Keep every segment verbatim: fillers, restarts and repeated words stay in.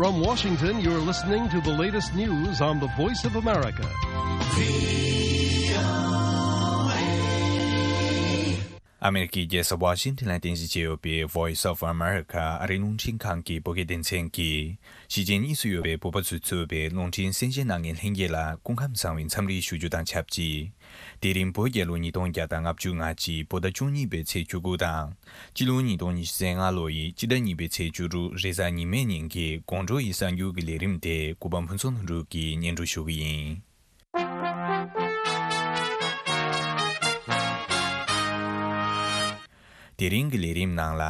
From Washington, you're listening to the latest news on the Voice of America. ཨ་མེ་རི་ཀའི་རྒྱལ་ས་ཝ་ཤིང་ཊོན་ལ་རྟེན་གཞི་བྱས་ཡོད་པའི་Voice of America ཨ་རིའི་རླུང་འཕྲིན་ཁང་གི་བོད་སྐད་སྡེ་ཚན་གྱིས་ཕྱི་རྒྱལ་གཉིས་སུ་ཡོད་པའི་བོད་པ་ཚོས་གཙོས་པའི་རླུང་འཕྲིན་གསན་བཞེས་གནང་མཁན་ལྷན་རྒྱས་ལ་སྐུ་ཁམས་བཟང་བའི་འཚམས་འདྲི་ཞུ་རྒྱུ་དང་ཆབས་ཅིག་དེ་རིང་བོད་རྒྱལ་ལོ་ཉིས་སྟོང་བརྒྱ་དང་ལྔ་བཅུ་ང་གཅིག་བོད་ཟླ་བཅུ་གཉིས་པའི་ཚེས་བཅུ་དགུ་དང་། སྤྱི་ལོ་ཉིས་སྟོང་ཉི་ཤུ་རྩ་ལྔ་ལོ་ཡི་སྤྱི་ཟླ་གཉིས་པའི་ཚེས་བཅུ་དྲུག་རེས་གཟའ་ཉི་མའི་ཉིན་གྱི་དགོང་དྲོ་ཡི་གསར་འགྱུར་གྱི་ལས་རིམ་དེ་གུས་པ་ཕུན་ཚོགས་ལྷུན་གྲུབ་ཀྱིས་སྙན་སྒྲོན་ཞུ་གི་ཡིན། དེ་རིང་གི་ལས་རིམ་ནང་ལ།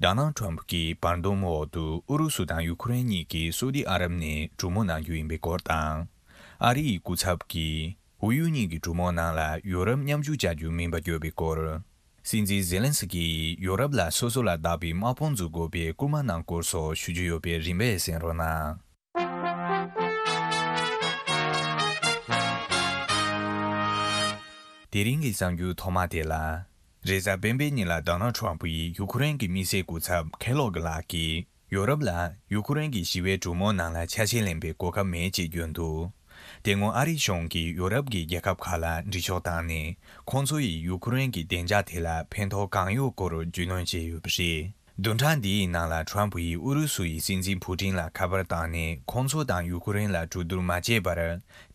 ཌོ་ནལ་ཊམ་ཕུ་གྱི་བར་འདུམ་འོག་ཏུ་ཨུ་རུ་སུ་དང་ཡུ་ཁུ་རེན་གཉིས་ཀྱིས་སོ་ཏི་ཨ་རབ་ནས་གྲོས་མོལ་གནང་རྒྱུ་ཡིན་པའི་སྐོར་དང་། ཨ་རི་ཡི་སྐུ་ཚབ་ཀྱིས་ཨུ་ཡུ་གཉིས་ཀྱི་གྲོས་མོལ་ནང་ལ་ཡོ་རོབ་མཉམ་ཞུགས་བྱ་རྒྱུ་མིན་པ་བརྗོད་པའི་སྐོར། སྲིད་འཛིན་ཛེ་ལན་སི་ཀི་ཡིས་ཡོ་རོབ་ལ་སོ་སོ་ལ་བདག་པའི་དམག་དཔུང་འཛུགས་དགོས་པའི་སྐུལ་མ་གནང་སྐོར་སོགས་ཞུ་རྒྱུ་ཡོད་པས་རིམ་པས་གསན་རོགས་གནང་། དེ་རིང་གི་གསར་འགྱུར་ཐོག་མ་དེ་ལ། རེས་གཟའ་སྤེན་པའི་ཉིན་ལ་ཌོ་ནལ་ཊམ་ཕུ་ཡིས་ཡུ་ཁུ་རེན་གྱི་དམིགས་བསལ་སྐུ་ཚབ་ཁེ་ལོག་ལགས་ཀྱིས་ཡོ་རོབ་ལ་ཡུ་ཁུ་རེན་གྱི་ཞི་བའི་གྲོས་མོལ་ནང་ལ་ཆ་ཤས་ལེན་པའི་གོ་སྐབས་མེད་ཅེས་བརྗོད་འདུག་དེ་སྔོན་ཨ་རིའི་གཞུང་གིས་ཡོ་རོབ་ཀྱི་རྒྱལ་ཁབ་ཁག་ལ་འདྲི་ཕྱོགས་བཏང་ནས་ཁོང་ཚོ་ཡིས་ཡུ་ཁུ་རེན་གྱི་བདེ་འཇགས་ཐད་ལ་ཕན་ཐོགས་གང་ཡོད་སྐོར་རྒྱུས་ལོན་བྱས་ཡོད་པ་རེད། བདུན་ཕྲག་འདིའི་ནང་ལ་ཊམ་ཕུ་ཡིས་ཨུ་རུ་སུ་ཡི་སྲིད་འཛིན་ཕུ་ཀྲིན་ལ་ཁ་པར་བཏང་ནས་ཁོང་ཚོ་དང་ཡུ་ཁུ་རེན་ལ་གྲོས་བསྡུར་མ་བྱས་པར་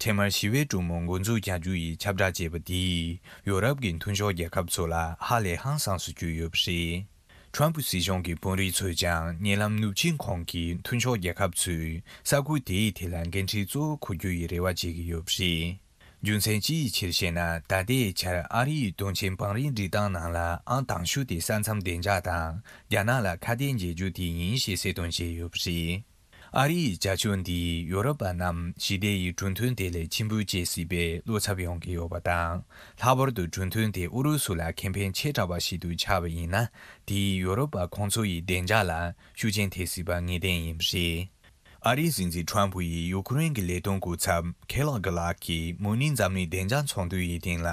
འཕྲལ་མར་ཞི་བའི་གྲོས་མོལ་འགོ་འཛུགས་རྒྱག་རྒྱུ་ཡི་ཁྱབ་བསྒྲགས་བྱས་པ་འདིས་ཡོ་རོབ་ཀྱི་མཐུན་ཕྱོགས་རྒྱལ་ཁབ་ཚོ་ལ་ཧ་ལས་ཧང་སངས་སུ་གྱུར་ཡོད་པ་རེད། ཊམ་ཕུ་སྲིད་གཞུང་གི་དཔོན་རིགས་ཚོས་ཀྱང་ཉེ་ལམ་ནུབ་ཆིངས་ཁོངས་ཀྱི་མཐུན་ཕྱོགས་རྒྱལ་ཁབ་ཚོས་ས་ཁུལ་དེའི་ཐད་ལ་འགན་འཁྲི་གཙོ་བོ་འཁུར་རྒྱུ་ཡི་རེ་བ་བྱེད་ཀྱི་ཡོད་པ་རེད། རྒྱུ་མཚན་ཅི་ཡི་ཕྱིར་ཞེ་ན། ད་ལྟའི་ཆར་ཨ་རི་ཡི་དོན་ཆེན་བང་རིམ་སྒྲིག་སྟངས་ནང་ལ་ཨང་དང་ཤོས་དེ་ས་མཚམས་བདེ་འཇགས་དང་རྒྱ་ནག་ལ་ཁ་གཏད་འཇལ་རྒྱུ་དེ་ཡིན་ཞེས་གསལ་སྟོན་བྱས་ཡོད་པ་རེད། ཨ་རི་ཡི་བྱ་སྤྱོད་འདིས་ཡོ་རོབ་པ་རྣམས་ཞི་བདེ་ཡི་གྲོས་མཐུན་དེ་ལས་ཕྱིར་འབུད་བྱེད་སྲིད་པའི་བློ་འཚབ་ཡོང་གི་ཡོད་པ་དང་། ལྷག་པར་དུ་གྲོས་མཐུན་དེ་ཨུ་རུ་སུ་ལ་ཁེ་ཕན་ཆེ་དྲགས་པ་ཞིག་ཏུ་ཆགས་པ་ཡིན་ན། དེས་ཡོ་རོབ་པ་ཁོང་ཚོ་ཡི་བདེ་འཇགས་ལ་ཤུགས་རྐྱེན་ཐེབས་སྲིད་པ་ངེས་གཏན་ཡིན་པ་རེད། ཨ་རིའི་སྲིད་འཛིན་ཁྲོམ་ཕུ་ཡིས་ཡུ་ཁུ་རེན་གྱི་ལས་དོན་སྐུ་ཚབ་ཁེ་ལོག་གྷི་ལགས་ཀྱིས་མུ་ནི་འཛམ་གླིང་བདེ་འཇགས་ཚོགས་འདུ་ཡི་སྟེང་ལ་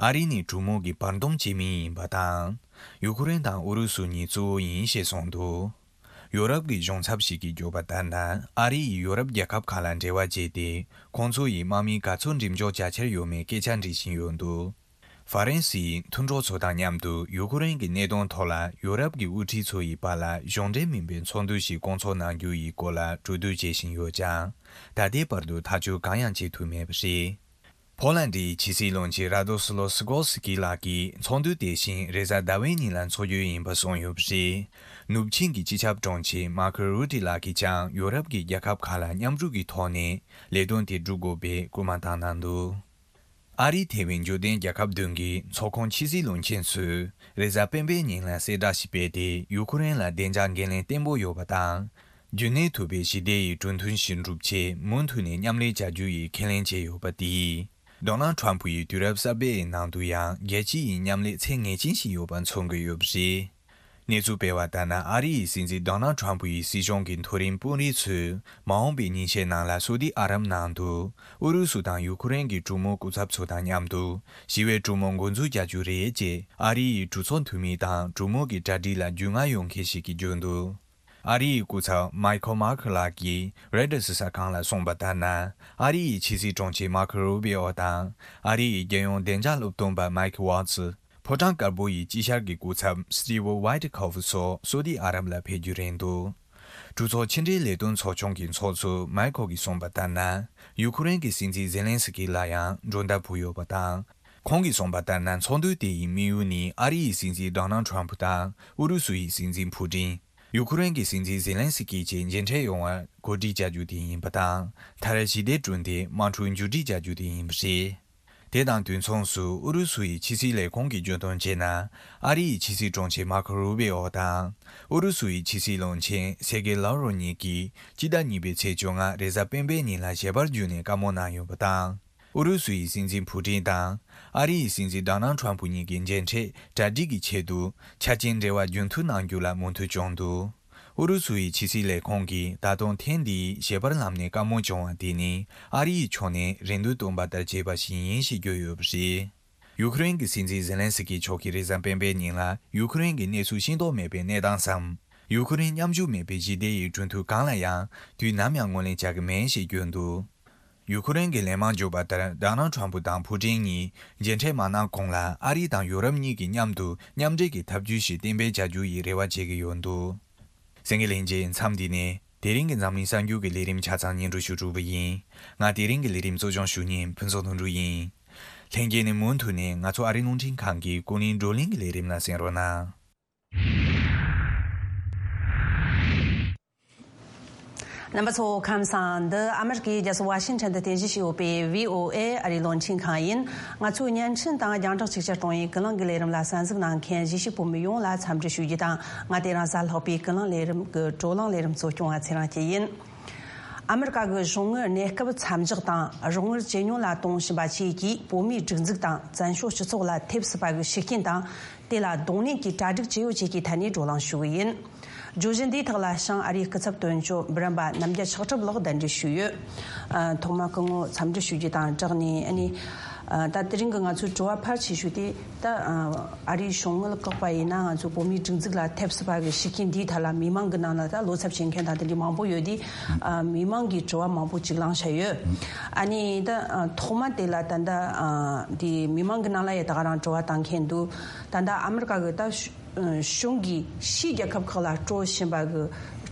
ཨ་རི་ནི་གྲོས་མོལ་གྱི་བར་འདུམ་བྱེད་མི་ཡིན་པ་དང་། ཡུ་ཁུ་རེན་དང་ཨུ་རུ་སུ་གཉིས་གཙོ་བོ་ཡིན་ཞེས་གསུངས་འདུག་ཡོ་རོབ་ཀྱི་གཞུང་ཚབ་ཞིག་གིས་བརྗོད་པ་ལྟར་ན། ཨ་རི་ཡིས་ཡོ་རོབ་རྒྱལ་ཁབ་ཁག་ལ་འབྲེལ་བ་བྱས་ཏེ། ཁོང་ཚོ་ཡི་དམག་མི་ག་ཚོད་འགྲེམས་འཇོག་བྱ་འཆར་ཡོད་མེད་སྐད་ཆ་འདྲི་བཞིན་ཡོད་འདུག་ཧྥ་རན་སིའི་མཐུན་གྲོགས་ཚོ་དང་མཉམ་དུ་ཡུ་ཁུ་རེན་གྱི་གནད་དོན་ཐོག་ལ་ཡོ་རོབ་ཀྱི་དབུ་ཁྲིད་ཚོ་ཡི་བར་ལ་གཞུང་འབྲེལ་མིན་པའི་ཚོགས་འདུ་ཞིག་བསྐོང་ཚོགས་གནང་རྒྱུ་ཡི་སྐོར་ལ་གྲོས་བསྡུར་བྱེད་བཞིན་ཡོད་ཀྱང་། ད་ལྟའི་བར་དུ་ཐག་གཅོད་གང་ཡང་བྱེད་ཐུབ་མེད་པ་རེད། ཕོ་ལན་ཌིའི་ཕྱི་སྲིད་བློན་ཆེན་ར་དོ་སི་ལོ་སི་ཀོ་སི་ཀི་ལགས་ཀྱིས་ཚོགས་འདུ་དེ་བཞིན་རེས་གཟའ་ཟླ་བའི་ཉིན་ལ་འཚོགས་རྒྱུ་ཡིན་པ་གསུངས་ཡོད་པ་རེད། ནུབ་ཆིངས་ཀྱི་སྤྱི་ཁྱབ་དྲུང་ཆེ་མར་ཁོ་རུ་ཏི་ལགས་ཀྱིས་ཀྱང་ཡོ་རོབ་ཀྱི་རྒྱལ་ཁབ་ཁག་ལ་མཉམ་རུབ་ཀྱི་ཐོག་ནས་ལས་དོན་དེ་སྒྲུབ་དགོས་པའི་སྐུལ་མ་བཏང་གནང་འདུག་ཨ་རིའི་ཐེ་ཝན་འབྱོར་ལྡན་རྒྱལ་ཁབ་བདུན་གྱི་ཚོགས་ཁོངས་ཕྱི་སྲིད་བློན་ཆེན་ཚོས་རེས་གཟའ་སྤེན་པའི་ཉིན་ལ་གསལ་བསྒྲགས་ཤིག་སྤེལ་ཏེ། ཡུ་ཁུ་རེན་ལ་བདེ་འཇགས་འགན་ལེན་བརྟན་པོ་ཡོད་པ་དང་། རྒྱུན་གནས་ཐུབ་པའི་ཞི་བདེ་ཡི་གྲོས་མཐུན་ཞིག་འགྲུབ་ཆེད་མུ་མཐུད་ནས་མཉམ་ལས་བྱ་རྒྱུ་ཡི་ཁས་ལེན་བྱས་ཡོད་པ་དེས། ཌོ་ནལ་ཁྲོམ་ཕུ་ཡི་དུས་རབས་གསར་པའི་ནང་དུ་ཡང་རྒྱལ་སྤྱི་ཡི་མཉམ་ལས་ཚད་ངེས་ཅན་ཞིག་ཡོད་པ་མཚོན་གྱི་ཡོད་པ་རེད། གནས་ཚུལ་སྤེལ་བ་ལྟར་ན། ཨ་རི་ཡི་སྲིད་འཛིན་ཌོ་ནལ་ཁྲོམ་ཕུ་ཡི་སྲིད་གཞུང་གི་མཐོ་རིམ་དཔོན་རིགས་ཚོས་མ་འོངས་པའི་ཉིན་ཤས་ནང་ལ་སོ་ཏི་ཨ་རབ་ནང་དུ་ཨུ་རུ་སུ་དང་ཡུ་ཁུ་རེན་གྱི་གྲོས་མོལ་སྐུ་ཚབ་ཚོ་དང་མཉམ་དུ་ཞི་བའི་གྲོས་མོལ་འགོ་འཛུགས་རྒྱག་རྒྱུ་རེད་ཅེས་ཨ་རི་ཡི་གྲོས་ཚོགས་འཐུས་མི་དང་གྲོས་མོལ་གྱི་གྲ་སྒྲིག་ལ་རྒྱུས་མངའ་ཡོད་མཁན་ཞིག་གིས་བརྗོད་འདུག་ཨ་རི་ཡི་སྐུ་ཚབ་མའི་ཁོ་མར་ཁེལ་ལགས་ཀྱིས་རོའི་ཊར་གསར་ཁང་ལ་གསུངས་པ་ལྟར་ན། ཨ་རི་ཡི་ཕྱི་སྲིད་དྲུང་ཆེ་མར་ཁོ་རུ་བི་ཨོ་དང་། ཨ་རི་ཡི་རྒྱལ་ཡོངས་བདེ་འཇགས་སློབ་སྟོན་པ་མའིག་ཝཱ་ཙི། ཕོ་བྲང་དཀར་པོ་ཡི་དཀྱིལ་ཤར་གྱི་སྐུ་ཚབ་སི་ཊི་ཝི་ཝའི་ཊི་ཁོ་ཕུ་སོགས་སོ་ཏི་ཨ་རབ་ལ་ཕེབས་རྒྱུ་རེད་འདུག་གྲོས་ཚོགས་ཕྱི་འབྲེལ་ལས་དོན་ཚོགས་ཆུང་གི་ཚོགས་གཙོ་མའི་ཁོ་གིས་གསུངས་པ་ལྟར་ན། ཡུ་ཁུ་རེན་གྱི་སྲིད་འཛིན་ཛེ་ལན་སི་ཀི་ལ་ཡང་མགྲོན་བརྡ་ཕུལ་ཡོད་པ་དང་། ཁོང་གིས་གསུངས་པ་ལྟར་ན། ཚོགས་འདུ་དེ་ཡི་དམིགས་ཡུལ་ནི་ཨ་རི་ཡི་སྲིད་འཛིན་ཌོ་ནལ་ཁྲོམ་ཕུ་དང་ཨུ་རུ་སུ་ཡི་སྲིད་འཛིན་ཕུ་ཀྲིན། ཡུ་ཁུ་རེན་གྱི་སྲིད་འཛིན་ཛེ་ལན་སི་ཀི་བཅས་མཇལ་འཕྲད་ཡོང་བར་གོ་སྒྲིག་བྱ་རྒྱུ་དེ་ཡིན་པ་དང་། མཐར་ཞི་བདེ་བསྐྲུན་ཏེ་དམག་འཁྲུག་མཇུག་སྒྲིལ་བྱ་རྒྱུ་དེ་ཡིན་པ་རེད། དེ་དང་དུས་མཚུངས་སུ་ཨུ་རུ་སུ་ཡི་ཕྱི་སྲིད་ལས་ཁུངས་ཀྱིས་བརྗོད་དོན་བྱས་ན། ཨ་རི་ཡི་ཕྱི་སྲིད་དྲུང་ཆེ་མར་ཁོ་རུ་བི་ཨོ་དང་། ཨུ་རུ་སུ་ཡི་ཕྱི་སྲིད་བློན་ཆེན་སེར་གེ་ལཱ་རོ་གཉིས་ཀྱིས་སྤྱི་ཟླ་གཉིས་པའི་ཚེས་བཅོ་ལྔ་རེས་གཟའ་སྤེན་པའི་ཉིན་ལ་ཞལ་པར་བརྒྱུད་ནས་བཀའ་མོལ་གནང་ཡོད་པ་དང་། ཨུ་རུ་སུ་ཡི་སྲིད་འཛིན་ཕུ་ཀྲིན་དང་ཨ་རི་ཡི་སྲིད་འཛིན་ཌོ་ནལ་ཁྲོམ་ཕུ་གཉིས་ཀྱི་མཇལ་འཕྲད་གྲ་སྒྲིག་གི་ཆེད་དུ་ཆ་རྐྱེན་འབྲེལ་བ་རྒྱུན་མཐུད་གནང་རྒྱུ་ལ་མོས་མཐུན་བྱུང་འདུག་ཨུ་རུ་སུ་ཡི་ཕྱི་སྲིད་ལས་ཁུངས་ཀྱིས་ད་དུང་ཐེངས་འདིའི་ཞལ་པར་ལམ་ནས་བཀའ་མོལ་བྱུང་བ་དེ་ནི་ཨ་རི་ཡི་ཕྱོགས་ནས་རེ་འདུན་བཏོན་པ་ལྟར་བྱས་པ་ཞིག་ཡིན་ཞེས་བརྗོད་ཡོད་པ་རེད། ཡུ་ཁུ་རེན་གྱི་སྲིད་འཛིན་ཛེ་ལན་སི་ཀི་མཆོག་གིས་རེས་གཟའ་སྤེན་པའི་ཉིན་ལ་ཡུ་ཁུ་རེན་གྱི་གནས་ཚུལ་ཤེས་རྟོགས་མེད་པའི་གནས་སྟངས་སམ། ཡུ་ཁུ་རེན་མཉམ་ཞུགས་མེད་པའི་ཞི་བདེ་ཡི་གྲོས་མཐུན་གང་ལ་ཡང་དུས་ནམ་ཡང་ངོས་ལེན་བྱ་གི་མེད་ཞེས་བརྗོད་འདུག་ཡུ་ཁུ་རེན་གྱི་ལས་དམག་འཇུག་པ་ལྟར་ཌོ་ནལ་ཁྲམ་ཕུ་དང་ཕུ་ཀྲིན་གཉིས་མཇལ་འཕྲད་མ་གནང་གོང་ལ་ཨ་རི་དང་ཡུ་རོབ་གཉིས་ཀྱིས་མཉམ་དུ་མཉམ་འབྲེལ་གྱི་ཐབས་ཇུས་ཤིག་གཏན་འབེབས་བྱ་རྒྱུ་ཡི་རེ་བ་བྱེད་ཀྱི་ཡོད་འདུག་གསན་མཁན་ལྷན་རྒྱས། མཚམས་འདི་ནས་དེ་རིང་གི་འཛམ་གླིང་གསར་འགྱུར་གྱི་ལས་རིམ་ཆ་ཚང་སྙན་སྒྲོན་ཞུ་གྲུབ་པ་ཡིན། ང་དེ་རིང་གི་ལས་རིམ་གཙོ་སྐྱོང་ཞུ་མཁན་ཕུན་ཚོགས་དོན་གྲུབ་ཡིན། ལྷན་རྒྱས་ནས་མུ་མཐུད་ནས་ང་ཚོ་ཨ་རིའི་རླུང་འཕྲིན་ཁང་གི་ཀུན་གླེང་བགྲོ་གླེང་གི་ལས་རིམ་ལ་གསན་རོགས་གནང་། རྣམ་པ་ཚོ་ཁམས་བཟང་། འདི་ཨ་མེ་རི་ཀའི་རྒྱལ་ས་ཝ་ཤིང་ཊོན་དུ་རྟེན་གཞི་བྱས་ཡོད་པའི་བྷི་ཨོ་ཨེ་ཨ་རིའི་རླུང་འཕྲིན་ཁང་ཡིན། ང་ཚོའི་བརྙན་འཕྲིན་དང་རྒྱང་བསྒྲགས་ཅིག་ཅར་གཏོང་བའི་ཀུན་གླེང་གི་ལས་རིམ་ལ་གསན་གཟིགས་གནང་མཁན་གཞིས་བྱེས་བོད་མི་ཡོངས་ལ་འཚམས་འདྲི་ཞུ་རྒྱུ་དང་། ང་དེ་རིང་གཟའ་ལྷག་པའི་ཀུན་གླེང་ལས་རིམ་གྱི་བགྲོ་གླེང་ལས་རིམ་གཙོ་སྐྱོང་བ་ཚེ་རིང་སྐྱིད་ཡིན། ཨ་མེ་རི་ཀ་གི་གཞུང་ངོས་གནས་སྐབས་མཚམས་འཇོག་དང་རོགས་དངུལ་ཇེ་ཉུང་ལ་གཏོང་བཞིན་པ་བཅས་ཀྱིས་བོད་མིའི་སྒྲིག་འཛུགས་དང་བཙན་བྱོལ་སྤྱི་ཚོགས་ལ་ཐེབས་སྲིད་པ་གི་ཤུགས་རྐྱེན་དང་། དེ་ལ་གདོང་ལེན་གྱི་གྲ་སྒྲིག་ཇི་ཡོད་བཅས་ཀྱི་ཐད་ནས་བགྲོ་གླེང་ཞུ་གི་ཡིན། བརྗོད་གཞི་འདིའི་ཐོག་ལ་བྱང་ཨ་རིའི་སྐུ་ཚབ་དོན་གཅོད་འབུམ་རམས་པ་རྣམ་རྒྱལ་ཕྱག་གྲུབ་ལགས་གདན་འདྲེན་ཞུས་ཡོད། ཨ། ཐོག་མར་སྐུ་ངོ་འཚམས་འདྲི་ཞུ་རྒྱུ་དང་སྦྲགས་ནས། ཨ་ནི། ཨ། ད་དེ་རིང་གི་ང་ཚོའི་དྲི་བ་ཕལ་ཆེ་ཤོས་དེ་ད། ཨ། ཨ་རིའི་གཞུང་དངུལ་བཀག་པ་ཡིན་ན་ང་ཚོ་བོད་མིའི་སྒྲིག་འཛུགས་ལ་ཐེབས་སྲིད་པ་གི་ཤུགས་རྐྱེན་འདིའི་ཐད་ལ་མི་མང་གི་ནང་ལ་ད་བློ་འཚབ་བྱེད་མཁན་དང་དེ་འདྲའི་མང་པོ་ཡོད་དེ། ཨ། མི་མང་གི་དྲི་བ་མང་པོ་ཅིག་བླངས་བཞག་ཡོད། ཨ་ནི་ད། ཨ། ཐོག་མ་དེ་ལ་ད་ལྟ། ཨ། དེ་མི་མང་གི་ནང་ལ་ཡ་ད་ག་རང་དྲི་བ་བཏང་མཁན་འདུག་ད་ལྟ་ཨ་མེ་རི་ཀ་གི་ད་གཞུང་གིས་ཕྱིའི་རྒྱལ་ཁབ་ཁག་ལ་སྤྲོད་བཞིན་པ་གི་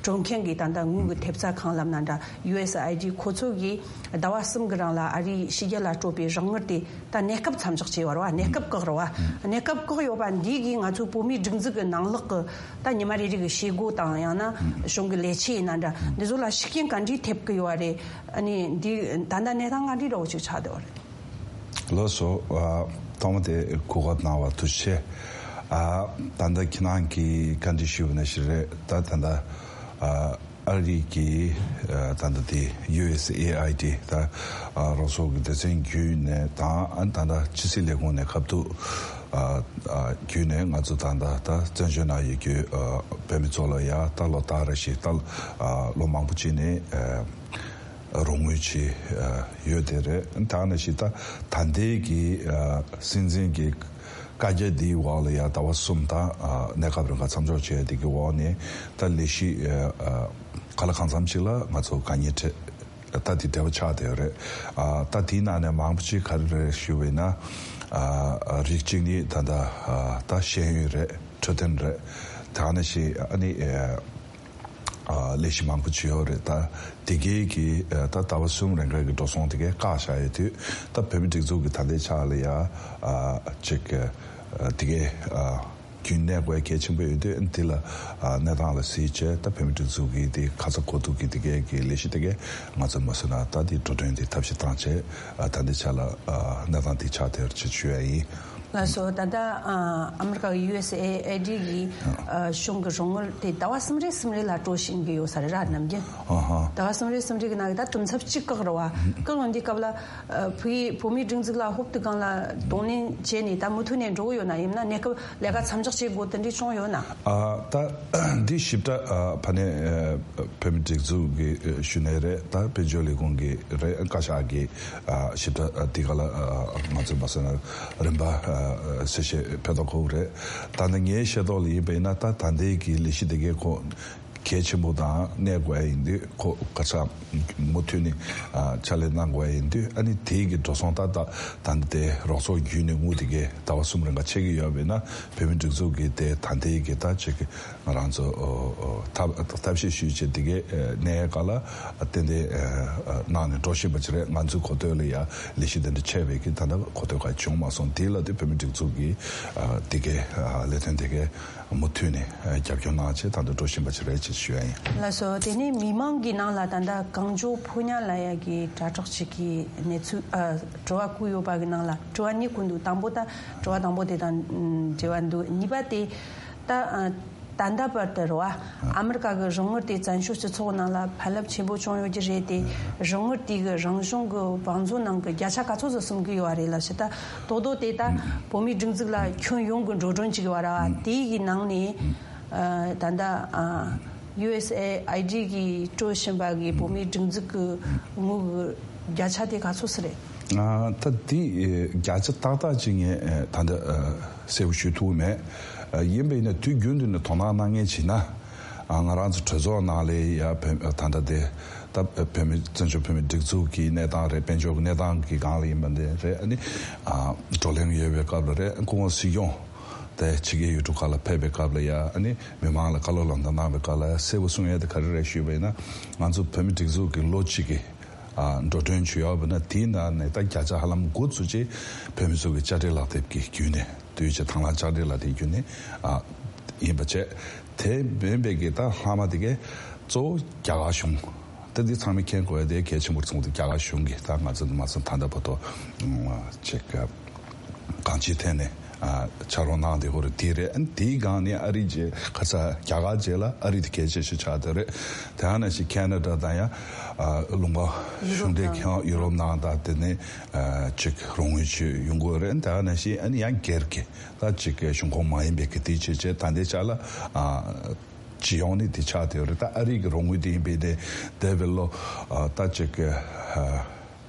སྤྲོད་མཁན་གྱི་ད་ལྟ་དངུལ་གྱི་ཐེབས་རྩ་གང་ལབ་ན་འདྲ། ཡུ་ཨེས་ཨའི་ཌི། ཁོ་ཚོ་གིས་ཟླ་བ་གསུམ་གྱི་རིང་ལ་ཨ་རིའི་ཕྱི་རྒྱལ་ལ་སྤྲོད་པའི་རོགས་དངུལ་དེ་ད་གནས་སྐབས་མཚམས་འཇོག་བྱས་པ་རེད་བ། གནས་སྐབས་བཀག་རེད་བ། གནས་སྐབས་བཀག་ཡོད་པ་འདི་གིས་ང་ཚོའི་བོད་མིའི་སྒྲིག་འཛུགས་ཀྱི་ནང་ལོགས་ཀྱི་ད་ཉི་མ་རེ་རེ་གི་བྱེད་སྒོ་དང་། ཡང་ན་གཞུང་གི་ལས་བྱེད་ཡིན་ན་འདྲ། འདི་ཚོ་ལ་ཤུགས་རྐྱེན་ག་འདྲས་ཐེབས་ཀྱི་ཡོད་རེད། ཨ་ནི་འདི་ད་ལྟ་གནས་སྟངས་ག་འདྲས་འདྲ་བོ་ཅིག་ཆགས་བསྡད་པ་རེད། ལགས་སོ། ཨ། ཐོག་མ་དེ་གོ་སྐབས་གནང་བ་ཐུགས་རྗེ་ཆེ། ཨ། ད་ལྟ་ཁྱེད་རང་གིས་བཀའ་འདྲི་ཞུས་པ་ནང་བཞིན་རེད། ད་ད་ལྟ། ཨ། ཨ་རི་གི། ཨ། ད་ལྟ་དེ་ཡུ་ཨེས་ཨེ་ཨའི་ཌི། ད། ཨ། རོགས་ཚོགས་ཀྱི་སྡེ་ཚན་བརྒྱུད་ནས་དང་། ཨ། ད་ལྟ་ཕྱི་སྲིད་ལས་ཁུངས་ནས་ཁ་ཐུག་ཨ། ཨ། བརྒྱུད་ནས་ང་ཚོ་ད་ལྟ་ད་བཙན་བྱོལ་ནང་ཡོད་རྒྱུ། ཨ། བོད་མི་ཚོ་ལ་ཡ་ད་ལོ་ལྟར་རེ་བཞིན་ད། ཨ། ལོ་མང་པོ་ཅིག་ནས། ཨ། རོགས་དངུལ་ཅིག་ཨ། ཡོད་དེ་རེད། ད་ནང་བཞིན་ད་ད་ལྟའི་གི། ཨ། སྲིད་འཛིན་གྱི་བཀའ་རྒྱ་འདིའི་འོག་ལ་ཡ་ཟླ་བ་གསུམ་དང་། ཨ། གནས་སྐབས་རིང་ག་མཚམས་འཇོག་བྱས་དེ་གི་འོག་ནས་ད་ལས་གཞི། ཨ། གང་ལ་གང་འཚམ་ཅིག་ལ་ང་ཚོ་དཀའ་ངལ་འཕྲད། ད་དེ་འབྲེལ་བ་ཆགས་བསྡད་ཡོད་རེད། ཨ། ད་དེའི་ནང་ནས་མང་པོ་ཅིག་ག་རེ་རེད་ཞུས་པ་ཡིན་ན། ཨ། རིགས་གཅིག་ནི་ད་ལྟ། ཨ། ད་ཤེས་ཡོན་རེད། འཕྲོད་བསྟེན་རེད། ད་ནང་བཞིན་ཨ་ནི། ཨ། ཨ། ལས་གཞི་མང་པོ་ཅིག་ཡོད་རེད། ད་དེ་གའི་གི། ཨ། ད་ཟླ་བ་གསུམ་རིང་ག་གི་འགྲོ་སོང་དེ་གའི་བཀག་བཞག་ཡོད་དུས། ད་བོད་མི་སྒྲིག་འཛུགས་ཀྱི་ད་ལྟའི་ཆ་ལ་ཡ། ཨ། ཅིག་ཨ། དེ་གའི། ཨ། རྒྱུན་གནས་དགོས་གལ་ཆེན་པོ་ཡོད་དུས། འདི་ལ། ཨ། གནས་སྟངས་ལ་གཟིགས་བྱས། ད་བོད་མི་སྒྲིག་འཛུགས་ཀྱི་དེ་ཁ་ཚ་དགོས་གཏུགས་ཀྱི་དེ་གའི་གི་ལས་གཞི་དེ་གའི་ང་ཚོ་མ་བཟོས་ན་ད་དེ་འགྲོ་གྲོན་དེ་ཐབས་ཤེས་བཏང་བྱས། ཨ། ད་ལྟའི་ཆ་ལ། ཨ། གནས་སྟངས་དེ་ཆགས་བསྡད་ཡོད་ཅེས་ཞུ་ཡ་ཡིན། ལགས་སོ། ད་ལྟ་ཨ་མེ་རི་ཀ་གི་ཡུ་ཨེས་ཨེ་ཨའི་ཌི་གི་ཨ་གཞུང་གི་རོགས་དངུལ་དེ་ཟླ་བ་གསུམ་རེ་གསུམ་རེ་ལ་སྤྲོད་བཞིན་གི་ཡོད་ས་རེད་ར། ནམ་རྒྱུན་ཨ་ཧ། ཟླ་བ་གསུམ་རེ་གསུམ་རེ་གི་ནང་གི་ད་དུམ་ཚབ་གཅིག་བཀག་རེད་བ། བཀག་ཡོང་དུས་སྐབས་ལ་ཨ་བོད་བོད་མིའི་སྒྲིག་འཛུགས་ལ་ཧོབ་ཏེ་གང་ལ་གདོང་ལེན་བྱས་ནས་ད་མུ་མཐུད་ནས་འགྲོ་གི་ཡོད་ན། ཡིན་ན་གནས་སྐབས་ལས་ཀ་མཚམས་འཇོག་བྱེད་དགོས་དེ་འདྲའི་བྱུང་ཡོད་ན། ཨ་ད་འདི་ཞིབ་ཕྲ་ཨ་ཕ་ནས་ཨ་བོད་མིའི་སྒྲིག་འཛུགས་ཀྱི་ཨ་ཞུ་ནས་རེད། ད་དཔལ་འབྱོར་ལས་ཁུངས་ཀྱི་རེད། བཀའ་ཤག་གི་ཨ་ཞིབ་ཕྲ་ཨ་འདི་ག་ལ་ཨ་ང་ཚོས་མ་བཟོས་ན་རིམ་པ་ཨ་གསལ་བཤད་ཕེབས་ཐོག་ཁོ་རེད། ད་ནི་ངའི་ཤེས་རྟོགས་ལ་ཡིན་པ་ཡིན་ན། ད་ད་ལྟའི་གི་ལས་གཞི་དེ་གའི་ཁོ་གལ་ཆེན་པོ་དང་གནས་དགོས་ཡ་ཡིན་དུས། ཁོ་ག་ས་མུ་མཐུད་ནས་ཨ་ཕྱག་ལས་གནང་དགོས་ཡ་ཡིན་དུས། ཨ་ནི་དེའི་གི་འགྲོ་སོང་ད་ད་ད་ལྟ་དེ་རོགས་ཚོགས་བརྒྱུད་ནས་དངུལ་དེ་གའི་ཟླ་བ་གསུམ་རིང་ག་ཆད་ཀྱི་ཡོད་པ་ཡིན་ན། བོད་མིའི་སྒྲིག་འཛུགས་ཀྱི་དེ་ད་ལྟའི་གི་ད་ཅིག་ང་རང་ཚོ་ཨོ་ཨོ་ཐབས་ཐབས་ཤེས་ཞུས་བྱས་དེ་གའི་ཨ་གནས་ག་ལ་ཏན་ཏན་ཨ་གནང་ནས་འགྲོ་བཞིན་པ་ཅིག་རེད། ང་ཚོའི་གོ་ཐོས་ལ་ཡ་ལས་གཞི་དེ་འདྲ་ཆད་པའི་གི་ད་ལྟ་གོ་ཐོས་ག་བྱུང་མ་སོང་། དེ་ལ་དེ་བོད་མིའི་སྒྲིག་འཛུགས་ཀྱི་ཨ་དེ་གའི་ཨ་ལས་དོན་དེ་གའི་མུ་མཐུད་ནས་ཨ་རྒྱབ་སྐྱོར་གནང་བྱས་ད་ལྟ་འགྲོ་བཞིན་པ་ཅིག་རེད་ཅེས་ཞུ་ཡ་ཡིན། ལགས་སོ། དེ་ནས་མི་མང་གི་ནང་ལ་ད་ལྟ་གང་མགྱོགས་ཕོ་ཉ་ལ་ཡ་གི་དྲ་གྲོགས་ཅིག་གིས་གནས་ཚུལ་ཨ་དྲི་བ་བཀོད་ཡོད་པ་གི་ནང་ལ་དྲི་བ་གཉིས་བཀོད་འདུག་དང་པོ་ད་དྲི་བ་དང་པོ་དེ་དང་འབྲེལ་བ་འདུག་གཉིས་པ་དེ་ད་ཨ་ད་ལྟ་བར་དུ་རེད་བ། ཨ་མེ་རི་ཀ་གི་རོགས་དངུལ་དེ་བཙན་བྱོལ་སྤྱི་ཚོགས་ནང་ལ་ཕན་རླབས་ཆེན་པོ་བྱུང་ཡོད་ཀྱི་རེད་དེ། རོགས་དངུལ་དེ་གི་རང་གཞུང་གི་བང་མཛོད་ནང་གི་བརྒྱ་ཆ་ག་ཚོད་ཙམ་ཟིན་གི་ཡོད་རེད་ལབ་ཞེ་ད། རྡོག་རྡོག་དེ་ད་བོད་མིའི་སྒྲིག་འཛུགས་ལ་ཁྱོན་ཡོངས་ཀྱི་འགྲོ་གྲོན་ཅིག་ཡོད་ར་བ། དེའི་གི་ནང་ནས་ཨ་ད་ལྟ་ཨ་ཡུ་ཨེས་ཨེ་ཨའི་ཌི་གིས་སྤྲོད་བཞིན་པ་གི་བོད་མིའི་སྒྲིག་འཛུགས་ཀྱི་དངུལ་གི་བརྒྱ་ཆ་དེ་ག་ཚོད་ཙམ་རེད། ཨ་ད་དེ་ཨེ་བརྒྱ་ཆ་ཏག་ཏག་ཅིག་ངས་ཨེ་ད་ལྟ་ཨ་གསལ་པོ་ཞུ་ཐུབ་མེད། ཨ་ཡིན་པ་ཡིན་ན་དུས་རྒྱུན་དུ་ནས་དོ་སྣང་གནང་མཁན་བྱས་ན། ང་རང་ཚོ་གྲོས་ཚོགས་ནང་ལ་ཡ་བོད་ད་ལྟ་དེ་ད་བོད་མི་བཙན་བྱོལ་བོད་མི་སྒྲིག་འཛུགས་ཀྱི་གནས་སྟངས་རེད། དཔལ་འབྱོར་གྱི་གནས་སྟངས་ཀྱི་སྒང་ལ་ཡིན་པ་འདི་རེད། ཨ་ནི་བགྲོ་གླེང་ཡོད་པའི་སྐབས་ལ་རེད། སྐུ་ངོ་སྲིད་སྐྱོང་དེ་ཕྱི་རྒྱལ་ཡུལ་གྲུ་ཁག་ལ་ཕེབས་པའི་སྐབས་ལ་ཡ་ཨ་ནི་མི་མང་ལ་བཀའ་སློབ་ལམ་སྟོན་གནང་བའི་སྐབས་ལ་གསལ་པོ་གསུང་ཡས་དེ་ག་རེ་རེད་ཞུས་པ་ཡིན་ན། ང་ཚོ་བོད་མི་སྒྲིག་འཛུགས་ཀྱི་ལོ་གཅིག་གི་འགྲོ་གྲོན་བྱུང་ཡོད་པ་ན། དེའི་ནང་ནས་ད་བརྒྱ་ཆ་ཧ་ལམ་དགུ་ཙམ་ཅིག་བོད་མི་ཚོ་གི་དཔྱ་ཁྲལ་ལག་དེབ་ཀྱི་བརྒྱུད་ནས། དུས་ཆེ་དང་བླངས་དཔྱ་ཁྲལ་ལག་དེབ་བརྒྱུད་ནས་ཡིན་པ་བྱས། དེ་མིན་པའི་གི་ད་ལྷག་མ་དེ་གས་གཙོ་བོ་རྒྱ་གར་གཞུང་། ད་འདི་ཚང་མས་མཁྱེན་དགོས་ཡ་དེ་གལ་ཆེན་པོར་མཚོན་ཏེ། རྒྱ་གར་གཞུང་གིས་ད་ང་ཚོ་མ་སོང་ད་ལྟ་བར་དུ་ཅིག་གང་ཅིའི་ཐད་ནས་ཕྱག་རོགས་གནང་བསྡད་ཡོད་རེད། དེ་རེད། ཨ་ནི་དེའི་སྒང་ནས་ཨ་རི་རྗེས་ཁ་ས་རྒྱ་གར་རྗེས་ལ་ཨ་རི་དེ་གལ་ཆེ་ཤོས་ཆགས་བསྡད་རེད། དེ་ཡང་ན་ཞིག་ཁེ་ན་ཌ་དང་ཡང་ལུང་པ་གཞུང་འབྲེལ་ཁང་ཡུ་རོབ་ནང་དང་དེ་ནས་ཅིག་རོགས་དངུལ་ཅིག་ཡོང་གི་ཡོད་རེད། དེ་ཡང་ན་ཞིག་ཨ་ནི་ཡང་སྒེར་གྱི་ད་ཅིག་གཞུང་ཁོངས་མ་ཡིན་པའི་གི་དེ་བྱས་བྱས་ད་ལྟའི་ཆ་ལ་སྤྱི་ཡོངས་ནས་དེ་ཆགས་བསྡད་ཡོད་རེད། ད་ཨ་རི་གི་རོགས་དངུལ་དེ་ཡིན་པའི་དེ་དེ་བས་ལོ་ད་ཅིག་གི་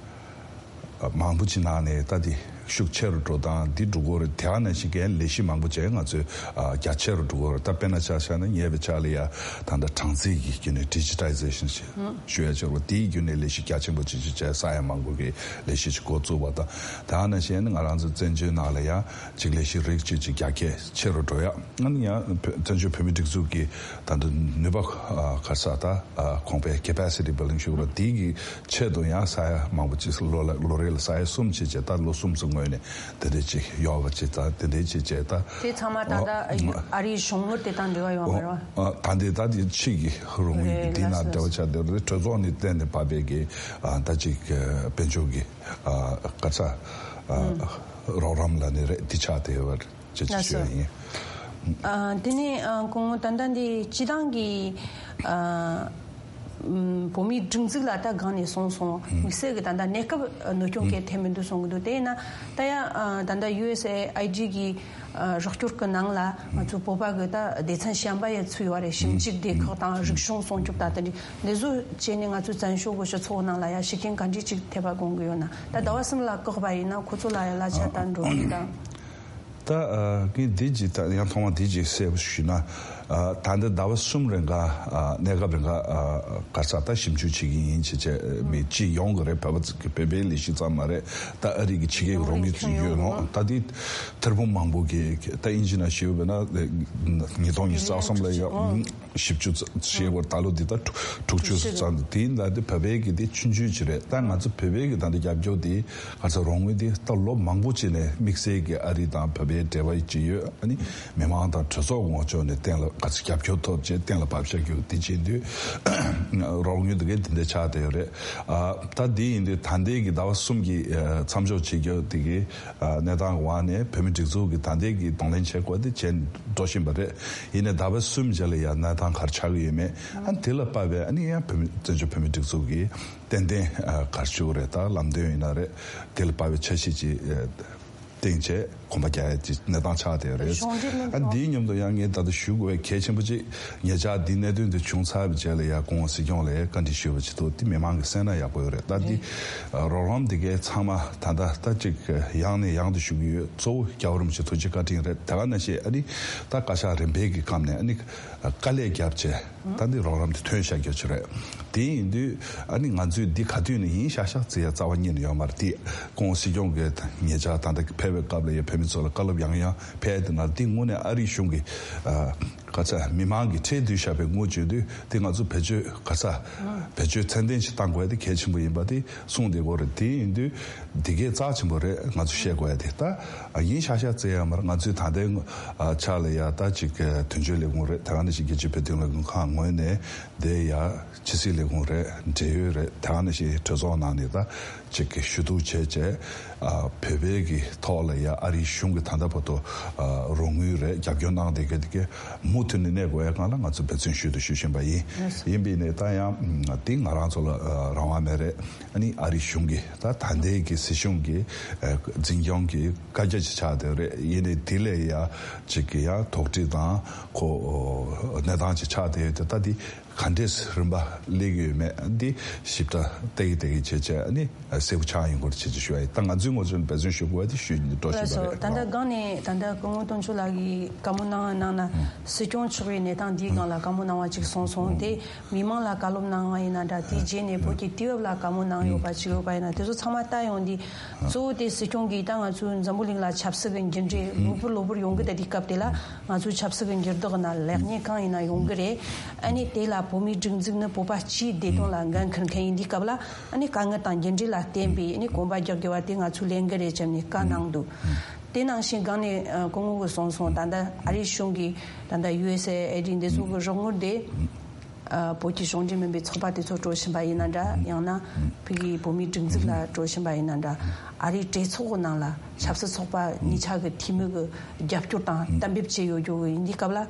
མང་པོ་ཅིག་ནང་ནས་ད་དེ་ཤུགས་ཆེ་རུ་འགྲོ་སྟངས་འདི་འགྲོ་གི་ཡོད་རེད། དེ་ཡང་ན་ཞིག་གི་ལས་གཞི་མང་པོ་ཅིག་ང་ཚོས་རྒྱ་ཆེ་རུ་འགྲོ་གི་ཡོད་རེད། ད་དཔེར་ན་ཆ་བཞག་ན་ཉེ་བའི་ཆར་ལ་ཡ་ད་ལྟ་གྲངས་རྩིས་ཀྱི་བརྒྱུད་ནས་ཌི་ཇི་ཊའི་ཛེ་ཤན་ཞུ་ཡ་ཅིག་རེད། དེའི་བརྒྱུད་ནས་ལས་གཞི་རྒྱ་ཆེན་པོ་ཅིག་ཅིག་བྱས། ས་ཡ་མང་པོ་གི་ལས་གཞི་ཅིག་འགོ་བཙུགས་པ་དང་། དེ་ཡང་ན་ཞིག་ང་རང་ཚོ་བཙན་བྱོལ་ནང་ལ་ཡ་ཅིག་ལས་གཞི་རིགས་གཅིག་ཅིག་རྒྱ་སྐྱེད་ཆེ་རུ་འགྲོ་ཡ། ཨ་ནི་ཡང་བཙན་བྱོལ་བོད་མིའི་སྒྲིག་འཛུགས་ཀྱི་ད་ལྟ་ནུས་པ་ག་ས་ད་གོང་འཕེལ་capacity building ཞུ་རོགས་དེའི་གི་ཆེད་དུ་ཡང་ས་ཡ་མང་པོ་ཅིག་ལོ་ལ་ལོ་རེ་ལ་ས་ཡ་གསུམ་ཅིག་བྱས། ད་ལོ་གསུམ་ཙམ་སྔོན་ནས་དེ་འདྲ་ཅིག་ཡོད་པ་ཅིག་ད་དེ་འདྲ་ཅིག་བྱས། ད་དེ་ཚང་མ་ད་ལྟ་ཨ་རིའི་གཞུང་དངུལ་དེ་དང་འབྲེལ་བ་ཡོད་མ་རེད་བ། ད་འདི་ད་འདི་ཕྱི་གི་རོགས་དངུལ་གི་འདི་ནང་འབྲེལ་བ་ཆགས་བསྡད་རེད། གྲོས་ཚོགས་ནས་གཏན་ནས་ཕབ་པའི་གི་ད་ཅིག་དཔལ་འབྱོར་གི་ག་ས་རོགས་རམ་ལ་ནི་རེད། འདི་ཆགས་བསྡད་ཡོད་པ་རེད། ཅེས་ཅི་ཞུ་ཡ་ཡིན། ཨ། དེ་ནས་ཨ་སྐུ་ངོ་ད་ལྟ་འདི་སྤྱི་བཏང་གི་ཨ་ཨམ་བོད་མིའི་སྒྲིག་འཛུགས་ལ་ད་སྒང་ནས་སོང་སོང་། དམིགས་བསལ་གྱི་ད་ལྟ་གནས་སྐབས་གནོད་སྐྱོན་གལ་ཐེབས་མི་འདུག་གསུང་གི་འདུག་དེས་ན་ད་ཡ་ཨ་ད་ལྟ་ཡུ་ཨེས་ཨེ་ཨའི་ཌི་གི་ཨ་རོགས་སྐྱོར་གྱི་ནང་ལ་ང་ཚོ་བོད་པ་གི་ད་སྡེ་ཚན་གཞན་པ་ཡ་ཚུད་ཡོད་རེད། ཞིབ་འཇུག་སྡེ་ཁག་དང་རིག་གཞུང་སྲུང་སྐྱོབ་ད་ལྟ་འདི་འདི་ཚོ་བྱས་ནས་ང་ཚོའི་བཙན་བྱོལ་གི་སྤྱི་ཚོགས་ནང་ལ་ཡ་ཤུགས་རྐྱེན་ག་འདྲས་ཅིག་ཐེབས་པ་དགོངས་གི་ཡོད་ན། ད་ཟླ་བ་གསུམ་ལ་བཀག་པ་ཡིན་ན་ཁོ་ཚོ་ལ་ཡང་གླ་ཆ་ད་འགྲོ་གི་ད། ད་ཨ་ངས་འདི་ཅིག་ད་ཡང་ཐོག་མ་འདི་ཅིག་གསལ་པོ་ཞུས་ན། ཨ་ད་ལྟ་ཟླ་བ་གསུམ་རིང་ག་ཨ་གནས་སྐབས་རིང་ག་ཨ་ག་ས་ད་ཞིབ་འཇུག་བྱེད་ཀྱི་ཡིན་ཅེས་བྱས་མི་སྤྱི་ཡོངས་ཀྱི་རེད། བོད་པ་ཚོ་གི་བོད་པའི་ལས་གཞི་ཙམ་མ་རེད། ད་ཨ་རི་གི་ཕྱི་རྒྱལ་གྱི་རོགས་དངུལ་ཡོད་རུང་ད་འདི་ཐེར་འབུམ་མང་པོ་གི་ད་དབྱིན་ཇི་ནང་ཞུས་པ་ན་ཉིས་སྟོང་ཉི་ཤུ་རྩ་གསུམ་ལ་ཡོད། བཞི་བཅུ་ཙམ་ཞེས་པར་ད་ལོ་འདི་ལྟར་དྲུག་ཅུ་ཙམ་འདི་ལ་འདི་བོད་པའི་གི་འདི་ཆུང་ཆུང་ཅིག་རེད། ད་ང་ཚོ་བོད་པའི་གི་ད་འདི་རྒྱབ་སྐྱོར་འདི་ག་ཚོད་རོགས་དངུལ་འདི་ད་ལོ་མང་པོ་ཅིག་ནས་དམིགས་བསལ་གི་ཨ་རི་དང་བོད་པའི་འབྲེལ་བ་ཅིག་ཡོད། ཨ་ནི་མི་མང་དང་གྲོས་ཚོགས་ངོས་ཕྱོགས་ནས་གཏན་ལ་ག་ཚོད་རྒྱབ་སྐྱོར་ཐོབ་ཅེས་གཏན་ལ་ཕབ་བཞག་རྒྱུ་འདི་བྱེད་དུས་རོགས་དངུལ་འདི་གའི་འདི་འདྲ་ཆགས་བསྡད་ཡོད་རེད། ཨ་ད་འདི་ཡིན་དུས་ད་ལྟའི་གི་ཟླ་བ་གསུམ་གི་མཚམས་འཇོག་བྱེད་རྒྱུ་འདི་གི་གནས་སྟངས་འོག་ནས་བོད་མི་སྒྲིག་འཛུགས་ཀྱི་ད་ལྟའི་གི་གདོང་ལེན་བྱེད་དགོས་དེ་བྱས་འགྲོ་བཞིན་པ་རེད། ཡིན་ནའི་ཟླ་བ་གསུམ་རྗེས་ལ་ཡང་གནས་སྟངས་ག་རེ་ཆགས་ཀྱི་ཡོད་མེད། ཨ་ནི་དེ་ལ་དཔག་པའི་ཨ་ནི་ཡང་བོད་མི་བཙན་བྱོལ་བོད་མི་སྒྲིག་འཛུགས་ཀྱི་ཏན་ཏན་ག་རེ་ཞུ་དགོས་རེད། ད་ལམ་སྟོན་ཡིན་ན་རེད། དེ་ལ་དཔག་པའི་འཆར་གཞི་ཅིག་བཏིང་བྱས་གོམ་པ་རྒྱག་ཡ་ཅིག་གནས་སྟངས་ཆགས་བསྡད་ཡོད་རེད། ཨ་འདིའི་མཉམ་དུ་ཡང་ངས་ད་ལྟ་ཞུ་དགོས་པའི་གལ་ཆེན་པོ་ཅིག་ཉེ་ཆར་འདི་གནད་དོན་འདི་བྱུང་ཚར་བའི་རྗེས་ལ་ཡང་སྐུ་ངོ་སྲིད་སྐྱོང་ལ་བཀའ་འདྲི་ཞུས་པ་ཅིག་འདུག་དེ་མི་མང་གིས་གསན་ན་ཡག་པོ་ཡོད་རེད། ད་འདི་རོགས་རམ་འདི་གའི་ཚང་མ་ད་ལྟ་ད་ཅིག་ཡང་ནས་ཡང་དུ་ཞུ་གི་ཡོད། གཙོ་བོ་རྒྱལ་བ་རིན་པོ་ཆེ་ཐུགས་རྗེ་བཀའ་དྲིན་རེད། དེ་ག་ནང་བཞིན་ཨ་ནི་ད་བཀའ་ཤག་རིམ་པས་ཀྱི་སྐབས་ནས་ཨ་ནི་དཀའ་ལས་བརྒྱབ་བྱས་ད་འདི་རོགས་རམ་འདི་ཐོན་བཞག་རྒྱུ་ཅིག་རེད། དེ་ཡིན་དུས་ཨ་ནི་ང་ཚོས་འདི་ག་དུས་ནས་ཡིན་ཤག་ཤག་བརྩི་ཡ་རྩ་བ་ཉིད་ནས་ཡོད་མ་རེད། དེ་སྐུ་ངོ་སྲིད་སྐྱོང་གིས་ཉེ་ཆར་ད་ལྟ་ཕེབས་པའི་སྐབས་ལ་ཡ་བོད་མི་ཚོ་ལ་བཀའ་སློབ་ཡང་ཡང་ཕེབས་དེ་ན་འདི་དངོས་གནས་ཨ་རིའི་གཞུང་གི་ཨ་ག་ཚད་མི་མང་གིས་ཁྲལ་བསྡུས་བཞག་པའི་དངུལ་བརྗོད་དུས་དེ་ང་ཚོ་བེད་སྤྱོད་ག་ཚད་བེད་སྤྱོད་ཚད་ལྡན་ཞིག་གཏང་དགོས་ཡ་དེ་གལ་ཆེན་པོ་ཡིན་པ་དེ་གསུངས་བསྡད་ཀྱི་ཡོད་རེད། དེ་ཡིན་དུས་འདི་གས་རྩ་ཆེན་པོ་རེད། ང་ཚོ་བཤད་དགོས་ཡ་དེ་ད་ཡིན་ཤག་ཤག་བརྩི་ཡ་མ་རེད། ང་ཚོས་ད་ལྟའི་ཆ་ལ་ཡ་ད་ཅིག་དོན་གཅོད་ལས་ཁུངས་རེད། དེ་ག་ནང་བཞིན་རྒྱལ་སྤྱིའི་བོད་དོན་ལས་ཁུངས་ཁག་ངོས་ནས་དེ་ཡ་ཕྱི་སྲིད་ལས་ཁུངས་རེད། འབྲེལ་ཡོད་རེད། དེ་ག་ནང་བཞིན་གྲོས་ཚོགས་ནང་ནས་ད་ཅིག་གི་ཞུ་གཏུག་བྱས་བྱས། ཨ་བོད་པའི་གི་ཐོག་ལ་ཡ་ཨ་རིའི་གཞུང་གི་ད་ལྟ་བར་དུ་ཨ་རོགས་དངུལ་རེད་རྒྱབ་སྐྱོར་གནང་བསྡད་མཁན་དེ་གས་མུ་མཐུད་ནས་གནས་དགོས་ཡ་སྒང་ལ་ང་ཚོ་འབད་བརྩོན་ཤུལ་དུ་ཞུ་བཞིན་པ་ཡིན། ཡིན་པས་ནས་ད་ཡང་འདི་ང་རང་ཚོ་ལ་ཨ་རང་དབང་མེད་རེད། ཨ་ནི་ཨ་རིའི་གཞུང་གི་ད་ད་ལྟའི་གི་སྲིད་གཞུང་གི་ཨ་འཛིན་སྐྱོང་གི་བཀའ་རྒྱ་ཅིག་ཆགས་བསྡད་རེད། ཡིན་ནའི་དེ་ལས་ཡ་ཅིག་གི་ཡ་དོགས་འདྲི་དང་ཁོ་གནས་སྟངས་ཅིག་ཆགས་བསྡད་ཡོད་དེ་ད་འདི། ག་འདྲས་རིམ་པ་སླེབས་ཀྱི་ཡོད་མེད་འདི་ཞིབ་ཕྲ་བལྟ་གི་བལྟ་གི་བྱས་བྱས་ཨ་ནི་གསལ་པོ་ཆགས་ཡོང་གི་རེད་བྱས་བྱས་ཞུ་བ་ཡིན། ད་ང་ཚོའི་ངོས་ནས་འབད་བརྩོན་ཞུ་དགོས་པ་དེ་ཞུ་ཡིན་འགྲོ་བཞིན་པ་རེད། ད་ལྟ་སྒང་ནས་ད་ལྟ་སྐུ་ངོ་དོན་གཅོད་ལགས་ཀྱིས་བཀའ་མོལ་གནང་གནང་ན་སྲིད་སྐྱོང་མཆོག་གིས་གནས་སྟངས་འདིའི་སྒང་ལ་བཀའ་མོལ་གནང་བ་ཅིག་གསུངས་སོང་། དེ་མི་མང་ལ་བཀའ་སློབ་གནང་བ་ཡིན་ན་འདྲ། དེའི་རྗེས་ནས་བོད་ཀྱི་དུས་བབ་ལ་བཀའ་མོལ་གནང་ཡོད་པ་ཅིག་ཡོད་པ་ཡིན་ན་དེ་ཚོ་ཚང་མ་ལྟ་ཡོང་དུས། གཙོ་བོ་དེ་སྲིད་སྐྱོང་གིས་ད་ང་ཚོའི་འཛམ་བུ་གླིང་ལ་ཆབ་སྲིད་ཀྱི་འགྱུར་འགྲོས་ལོ་བུར་ལོ་བུར་ཡོང་གི་ད་དེ་སྐབས་དེ་ལ་ང་ཚོའི་ཆབ་སྲིད་ཀྱི་འགྱུར་ལྡོག་ནང་ལེགས་ཉེས་གང་ཡིན་ན་ཡོང་གི་རེད། ཨ་ནི་དེ་ལ་བོད་མིའི་སྒྲིག་འཛུགས་ནི་བོད་པ་སྤྱིའི་བདེ་དོན་ལ་འགན་འཁུར་མཁན་ཡིན་དུས་སྐབས་ལ་ཨ་ནི་དཀའ་ངལ་དང་འགྱུར་འགྲོས་ལ་བརྟེན་པའི་ཨ་ནི་གོམ་པ་རྒྱག་དགོས་པ་དེ་ང་ཚོའི་ལས་འགན་རེད་བྱས་ནས་བཀའ་གནང་འདུག་དེ་ནང་བཞིན་སྒང་ནས་སྐུ་ངོ་གིས་གསུངས་སོང་། ད་ལྟ་ཨ་རིའི་གཞུང་གིས་ད་ལྟ་ཡུ་ཨེས་ཨེ་ཨེ་ཌི་འདི་ཚོ་གི་རོགས་དངུལ་དེ། ཨ། བོད་ཀྱི་གཞུང་འབྲེལ་མིན་པའི་ཚོགས་པ་དེ་ཚོ་སྤྲོད་བཞིན་པ་ཡིན་ན་འདྲ། ཡང་ན་བོད་ཀྱི་བོད་མིའི་སྒྲིག་འཛུགས་ལ་སྤྲོད་བཞིན་པ་ཡིན་ན་འདྲ། ཨ་རིའི་གྲོས་ཚོགས་ཀྱི་ནང་ལ་ཆབ་སྲིད་ཚོགས་པ་གཉིས་ཆ་གི་འཐུས་མི་གི་རྒྱབ་སྐྱོར་དང་གཏན་འབེབས་བྱས་ཡོད་རྒྱུ་ཡིན་དུས་སྐབས་ལ།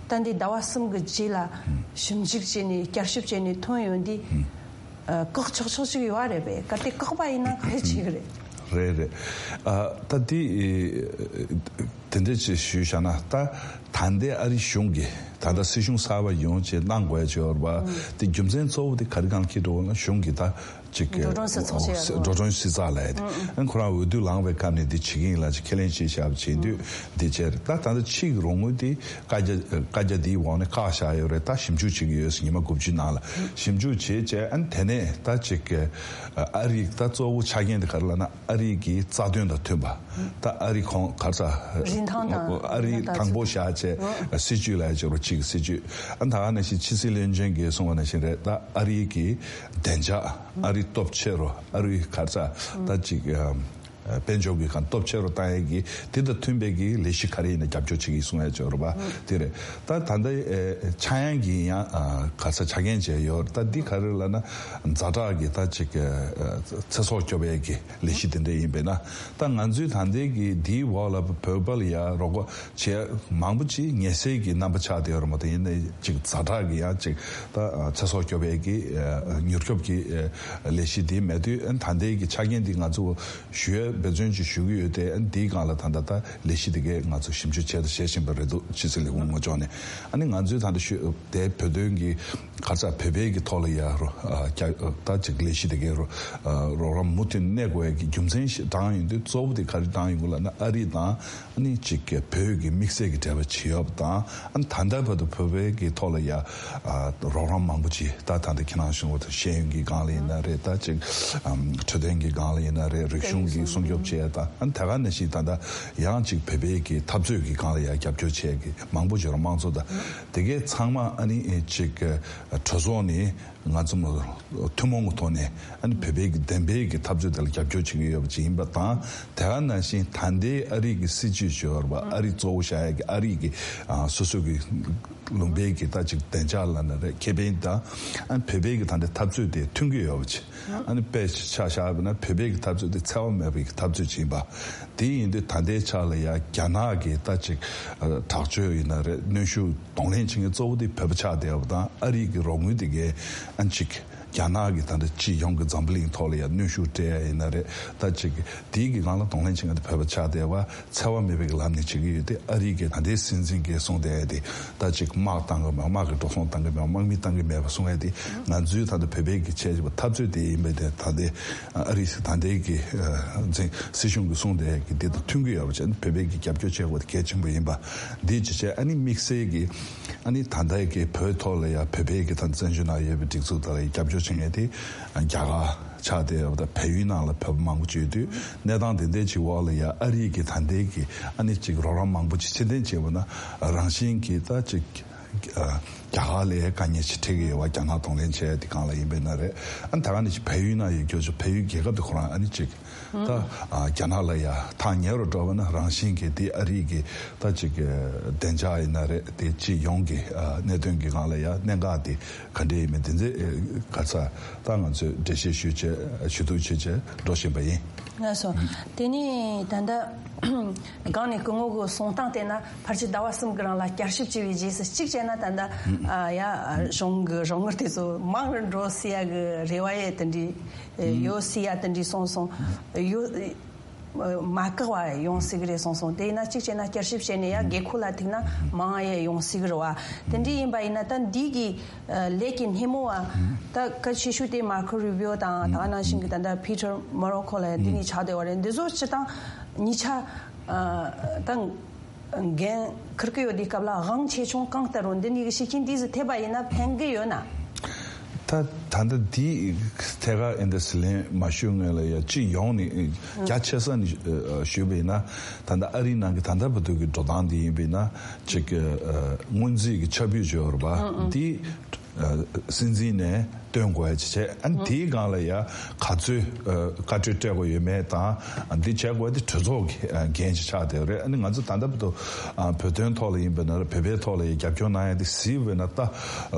ད་འདི་ཟླ་བ་གསུམ་གྱི་རྗེས་ལ་ཞིབ་འཇུག་བྱས་ནས་བསྐྱར་ཞིབ་བྱས་ནས་ཐོན་ཡོང་དུས། ཨ། བཀག་ཆོག་ཆོག་ཅིག་ཡོད་རེད་པས། གལ་ཏེ་བཀག་པ་ཡིན་ན་ག་རེ་བྱེད་ཀྱི་རེད། རེད་རེད། ཨ། ད་འདི་དེ་འདྲ་ཅིག་ཞུས་བཞག་ན། ད་ད་ལྟའི་ཨ་རི་གཞུང་གིས་ད་ལྟ་སྲིད་གཞུང་གསར་པ་ཡོང་བྱས་གནང་དགོས་ཡ་ཅིག་ཡོད་རེད་པ། དེ་རྒྱུ་མཚན་གཙོ་བོ་དེ་ག་རེ་སྒང་འཁེལ་འགྲོ་ན་གཞུང་གིས་ད་ཅིག་འགྲོ་གྲོན་སེལ་ཚོགས་བྱས་ཡ་འགྲོ་གྲོན་སེལ་ཚོགས་ལབ་ཡ་དེ། ཨ་ནི་ཁོ་རང་འོས་བསྡུ་ལངས་པའི་སྐབས་ནས་འདི་བྱེད་ཀྱི་ཡིན་ལབ་ཅིག་ཁས་ལེན་བྱས་བཞག་པ་བྱེད་དུས་འདི་བྱས་རེད། ད་ད་ལྟ་ཕྱིའི་རོགས་དངུལ་དེ་བཀའ་རྒྱ་བཀའ་རྒྱ་འདིའི་འོག་ནས་བཀག་བཞག་ཡོད་རེད། ད་ཞིབ་འཇུག་བྱེད་ཀྱི་ཡོད་ཟེར། ཉི་མ་དགུ་བཅུའི་ནང་ལ་ཞིབ་འཇུག་བྱས་བྱས། ཨ་ནི་དེ་ནས་ད་ཅིག་ཨ་རིའི་ད་གཙོ་བོ་ཆ་རྐྱེན་དེ་ག་རེ་ལབ་ན། ཨ་རི་གི་རྩ་དོན་དང་མཐུན་པ། ད་ཨ་རི་ཁོང་ག་རེ་ཟེར། རིན་ཐང་དང་ཨ་རི་དང་པོ་བཞག་བྱས་སྲིད་ཇུས་ལ་ཡ་ཅིག་རོ་གཅིག་གི་སྲིད་ཇུས། ཨ་ད་ག་ནང་བཞིན་ཕྱི་སྲིད་བློན་ཆེན་གྱིས་གསུངས་པ་ནང་བཞིན་རེད། ད་ཨ་རི་གི་བདེ་འཇགས། ཨ་རི་སྟོབས་ཆེ་རུ། ཨ་རི་ག་རེ་ཟེར། ད་ཅིག་ཨ་དཔལ་འབྱོར་གྱི་ཁ་སྟོབས་ཆེ་རུ་བཏང་ཡས་ཀྱི་དེ་དང་མཐུན་པའི་གི་ལས་གཞི་ག་རེ་ཡིན་ན་རྒྱབ་སྐྱོར་བྱེད་ཀྱི་གསུང་ཡས་ཅིག་ཡོད་རེད་པ། དེ་རེད། ད་ད་ལྟ་ཨ་ཆག་ཡང་གི་ཡང་ཨ་ག་རེ་ཟེར་ཆ་རྐྱེན་བྱས་ཡོད། ད་འདི་ག་རེ་ལབ་ན་ཛ་དྲག་གི་ད་ཅིག་ཨ་ཚེ་སྲོག་སྐྱོབ་ཡས་ཀྱི་ལས་གཞི་དེ་འདྲ་ཡིན་པས་ན། ད་ང་ཚོའི་ད་ལྟའི་གི་འདིའི་འོག་ལ་བོད་པ་ལ་ཡ་རོགས་པ་བྱེད་མང་པོ་ཅིག་ངལ་སེལ་གྱི་རྣམ་པ་ཆགས་བསྡད་ཡོད་རེད་མ་གཏོགས། ཡིན་ནའི་ཅིག་ཛ་དྲག་གི་ཡང་ཅིག་ད་ཚེ་སྲོག་སྐྱོབ་ཡས་ཀྱི་མྱུར་སྐྱོབ་ཀྱི་ལས་གཞི་འདི་མེད་དུས། ད་ལྟའི་གི་ཆ་རྐྱེན་འདི་ང་ཚོ་ཞུ་ཡས་འབད་བརྩོན་ཅིག་ཞུ་གི་ཡོད་དེ། འདིའི་སྒང་ལ་ད་ལྟ་ད་ལས་གཞི་འདི་གས་ང་ཚོ་ཞིབ་འཇུག་བྱས་དང་བྱེད་བཞིན་པ་རེད་འདུག་ཕྱི་སྲིད་ལས་ཁུངས་ངོས་ཕྱོགས་ནས། ཨ་ནི་ང་ཚོའི་ད་ལྟ་ཞུ་དེ་བོད་དོན་གྱི་ག་རེ་ཟེར། བོད་པའི་གི་ཐོག་ལ་ཡ་རོ་ཨ་རྒྱ་ད་ཅིག་ལས་གཞི་དེ་གའི་རོ་ཨ་རོགས་རམ་མུ་མཐུད་གནས་དགོས་ཡ་གི་རྒྱུ་མཚན་ཞིག་བགྲངས་ཡོང་དུས། གཙོ་བོ་དེ་ག་རེ་བགྲངས་ཡོང་གི་ལབ་ན། ཨ་རི་དང་ཨ་ནི་ཅིག་གི་བོད་ཀྱི་དམིགས་བསལ་གྱི་འབྲེལ་བ་བྱེད་ཡོད་པ་དང་། ཨ་ནི་ད་ལྟ་བར་དུ་བོད་པའི་གི་ཐོག་ལ་ཡ་ཨ་རོགས་རམ་མང་པོ་ཅིག་ད་ད་ལྟ་ཁྱེད་རང་གཞུང་བར་དུ་ཤེས་ཡོན་གྱི་སྒང་ལ་ཡིན་ན་རེད། ད་ཅིག་ཨམ་འཕྲོད་བསྟེན་གྱི་སྒང་ལ་ཡིན་ན་རེད། རིག་གཞུང་གི་སྲུང་སྐྱོབ་བྱེད་ཡ་དང་། ཨ་ནི་དེ་ག་ནང་བཞིན་ད་ལྟ་ཡང་ཅིག་བོད་པའི་གི་འཐབ་རྩོད་ཀྱི་སྒང་ལ་ཡ་རྒྱབ་སྐྱོར་བྱེད་ཡ་གི་མང་པོ་ཅིག་ཡོད་རེད། དམངས་གཙོ་དང་དེ་གའི་ཚང་མ་ཨ་ནི་ཅིག་གྲོས་ཚོགས་ནས་ང་ཚོ་མ་ཐུན་མོང་གི་ཐོག་ནས་ཨ་ནི་བོད་པའི་གི་བདེན་པའི་གི་འཐབ་རྩོད་དེ་ལ་རྒྱབ་སྐྱོར་བྱེད་ཀྱི་ཡོད་པ་ཅིག་ཡིན་པ་དང་། དེ་ག་ནང་བཞིན་ད་ལྟའི་ཨ་རི་གི་སྲིད་བྱུས་ཅིག་ཡོད་རེད་པ། ཨ་རི་གཙོ་བོ་བཞག་ཡ་གི་ཨ་རི་གི་ཨ་སོ་སོ་གི་ལུང་པའི་གི་ད་ཅིག་བདེ་འཇགས་ལབ་ན་རེད། ཁེ་ཕན་དང་། ཨ་ནི་བོད་པའི་གི་ད་ལྟའི་འཐབ་རྩོད་དེ་མཐུན་གྱི་ཡོད་པ་ཅིག་ཨ་ནི་དཔེ་ཆ་བཞག་པ་ན་བོད་པའི་གི་འཐབ་རྩོད་དེ་འཚེ་བ་མེད་པའི་གི་འཐབ་རྩོད་ཅིག་ཡིན་པ། དེ་ཡིན་དུས་ད་ལྟའི་ཆ་ལ་ཡ་རྒྱ་ནག་གི་ད་ཅིག་ཨ་དྲག་སྤྱོད་ཡིན་ན་རེད། གནོན་ཤུགས་གདོང་ལེན་བྱེད་མཁན་གཙོ་བོ་དེ་བོད་པ་ཆགས་བསྡད་པ་དང་། ཨ་རི་གི་རོགས་དངུལ་དེ་གས་ཨ་ཅིག་རྒྱ་ནག་གི་ད་ལྟ་སྤྱི་ཡོངས་ཀྱི་འཛམ་བུ་གླིང་ཐོག་ལ་ཡ་གནོན་ཤུགས་སྤྲད་ཡ་ཡིན་ན་རེད། ད་ཅིག་དེའི་གི་སྒང་ལ་གདོང་ལེན་བྱེད་མཁན་དེ་བོད་པ་ཆགས་བསྡད་པ། འཚེ་བ་མེད་པའི་གི་ལམ་ནས་བྱེད་ཀྱི་ཡོད་དེ། ཨ་རི་གི་ད་ལྟའི་སྲིད་འཛིན་གྱིས་གསུངས་བསྡད་ཡ་དེ་ད་ཅིག་དམག་བཏང་གི་མེད། དམག་གི་འགྲོ་སོང་བཏང་གི་མེད། དམག་མི་བཏང་གི་མེད་པ་གསུང་ཡ་དེ། ང་ཚོའི་ད་ལྟ་བོད་པའི་གི་བྱས་བྱས་པ་འཐབ་རྩོད་དེ་ཡིན་པས། དེ་ད་ལྟའི་ཨ་རི་ད་ལྟའི་གི་འཛིན་སྲིད་གཞུང་གིས་གསུངས་བསྡད་ཡ་གི་དེ་དང་མཐུན་གྱི་ཡོད་པ་བྱས་ན་བོད་པའི་གི་རྒྱབ་སྐྱོར་བྱེད་དགོས་དེ་གལ་ཆེན་པོ་ཡིན་པ། འདི་ཅི་བྱས་ཨ་ནི་དམིགས་བསལ་གྱི་ཨ་ནི་ད་ལྟའི་གི་བོད་ཐོག་ལ་ཡ་བོད་པའི་གི་ད་བཙན་བྱོལ་ནང་ཡོད་པའི་སྒྲིག་འཛུགས་དག་ལ་ཡ་རྒྱབ་སྐྱོར་བྱེད་མཁན་དེ་རྒྱ་གར་ཆགས་བསྡད་ཡོད་པ་དང་། བལ་ཡུལ་ནང་ལ་བོད་པ་མང་པོ་ཅིག་ཡོད་དུས། གནས་སྟངས་དེ་འདྲའི་ཅིག་འོག་ལ་ཡ་ཨ་རི་གི་ད་ལྟའི་གི་ཨ་ནི་ཅིག་རོགས་རམ་མང་པོ་ཅིག་ཕྱིར་འཐེན་བྱས་པ་ན་རང་བཞིན་གྱིས་ད་ཅིག་ཨ་རྒྱ་གར་ལ་དཀའ་ངལ་ཅིག་འཕྲད་ཀྱི་ཡོད་པ། རྒྱ་ནག་གདོང་ལེན་བྱས་དེ་སྒང་ལ་ཡིན་པས་ན་རེད། ཨ་ནི་ད་ག་ནང་བཞིན་བལ་ཡུལ་ནང་ཡོད་རྒྱུ་ཚོ་བལ་ཡུལ་རྒྱལ་ཁབ་དེ་ཁོ་རང་ཨ་ནི་ཅིག་ད་ཨ་རྒྱ་ནག་ལ་ཡ་ཐག་ཉེ་རུ་འགྲོ་བ་ན་རང་བཞིན་གྱིས་དེ་ཨ་རི་གི་ད་ཅིག་བདེ་འཇགས་ཡིན་ན་རེད། དེ་སྤྱི་ཡོངས་ཀྱི་ཨ་གནད་དོན་གྱི་སྒང་ལ་ཡ་གནད་འགག་དེ་ག་འདྲ་ཡིན་མིན་དེ་ཚོ་ག་ཚ་ད་ང་ཚོས་འགྲེལ་བཤད་ཞུས་བྱས་ཞུ་གཏུག་བྱས་བྱས་འགྲོ་བཞིན་པ་ཡིན། ལགས་སོ། དེ་ནས་ད་ལྟ་སྒང་ནས་སྐུ་ངོ་གི་གསུང་སྟངས་བལྟས་ན། ཕལ་ཆེར་ཟླ་བ་གསུམ་གྱི་རིང་ལ་བསྐྱར་ཞིབ་བྱས་པའི་རྗེས་སུ་གཅིག་བྱས་ན་ད་ལྟ་ཨ་ཡ་གཞུང་གི་རོགས་དངུལ་དེ་ཚོ་མང་རུ་འགྲོ་སྲིད་ཡ་གི་རེ་བ་ཡས་དེ་འདྲའི་ཡོད་སྲིད་ཡ་དེ་འདྲའི་གསུངས་སོང་། ཡོད། མ་བཀག་པ་ཡོང་སྲིད་ཀྱི་རེད་གསུངས་སོང་། དེ་ཡིན་ན་གཅིག་བྱས་ན་བསྐྱར་ཞིབ་བྱས་ནས་ཡང་དགོས་མཁོ་ལ་ཐུག་ན་མང་ཡང་ཡོང་སྲིད་ཀྱི་རེད་བ། དེ་འདྲ་ཡིན་པ་ཡིན་ན་ད་འདི་གི་ལས་ཀྱི་སྣེ་མོ་བ་ད་གལ་ཆེ་ཤོས་དེ་མར་ཁོ་རུ་བིའོ་དང་ད་ག་ནང་བཞིན་གྱི་ད་ལྟ་ཕི་ཊར་མོ་རོ་ཁོ་ལ་འདི་གཉིས་ཆགས་བསྡད་པ་རེད། འདི་ཚོ་སྤྱིར་བཏང་གཉིས་ཆ་ད་འགན་འཁུར་གྱི་ཡོད་དུས་སྐབས་ལ་དབང་ཆེ་ཆུང་གང་ལྟར་རུང་འདི་གཉིས་ཀྱི་ཤེད་ཆེན་འདི་ཟིག་ཐེབས་པ་ཡིན་ན་ཕན་གྱི་ཡོད་ན། ད་ད་ལྟ་འདི་ཐད་ཀར་ཨེ་འདྲ་ཟེར་ལན་མ་ཞུ་སྔོན་ལ་ཡ་སྤྱི་ཡོངས་ནས་རྒྱ་ཆེ་ས་ནས་ཞུས་པ་ཡིན་ན། ད་ལྟ་ཨ་རིའི་ནང་གི་ད་ལྟ་བར་དུ་གི་འགྲོ་སྟངས་འདི་ཡིན་པ་ཡིན་ན་ཅིག་སྔོན་རྩིས་ཀྱི་ཁྱབ་སྤེལ་བྱས་ཡོད་རེད་པ། འདི་སྲིད་འཛིན་ནས་བཏོན་དགོས་ཡ་ཅིག་བྱས། ཨ་ནི་དེའི་སྒང་ལ་ཡ་ག་ཚོད་བཀའ་འཁྲོལ་སྤྲད་དགོས་ཡོད་མེད་དང་། འདི་བྱས་དགོས་དེ་གྲོས་ཚོགས་ཀྱི་འགན་ཅིག་ཆགས་བསྡད་ཡོད་རེད། ཨ་ནི་ང་ཚོ་ད་ལྟ་བར་དུ་བོད་དོན་ཐོག་ལ་ཡིན་པ་ཡིན་ན་ར་བོད་པའི་ཐོག་ལ་ཡ་རྒྱབ་སྐྱོར་གནང་ཡ་དེ་གཟིགས་པ་ཡིན་ན་ད་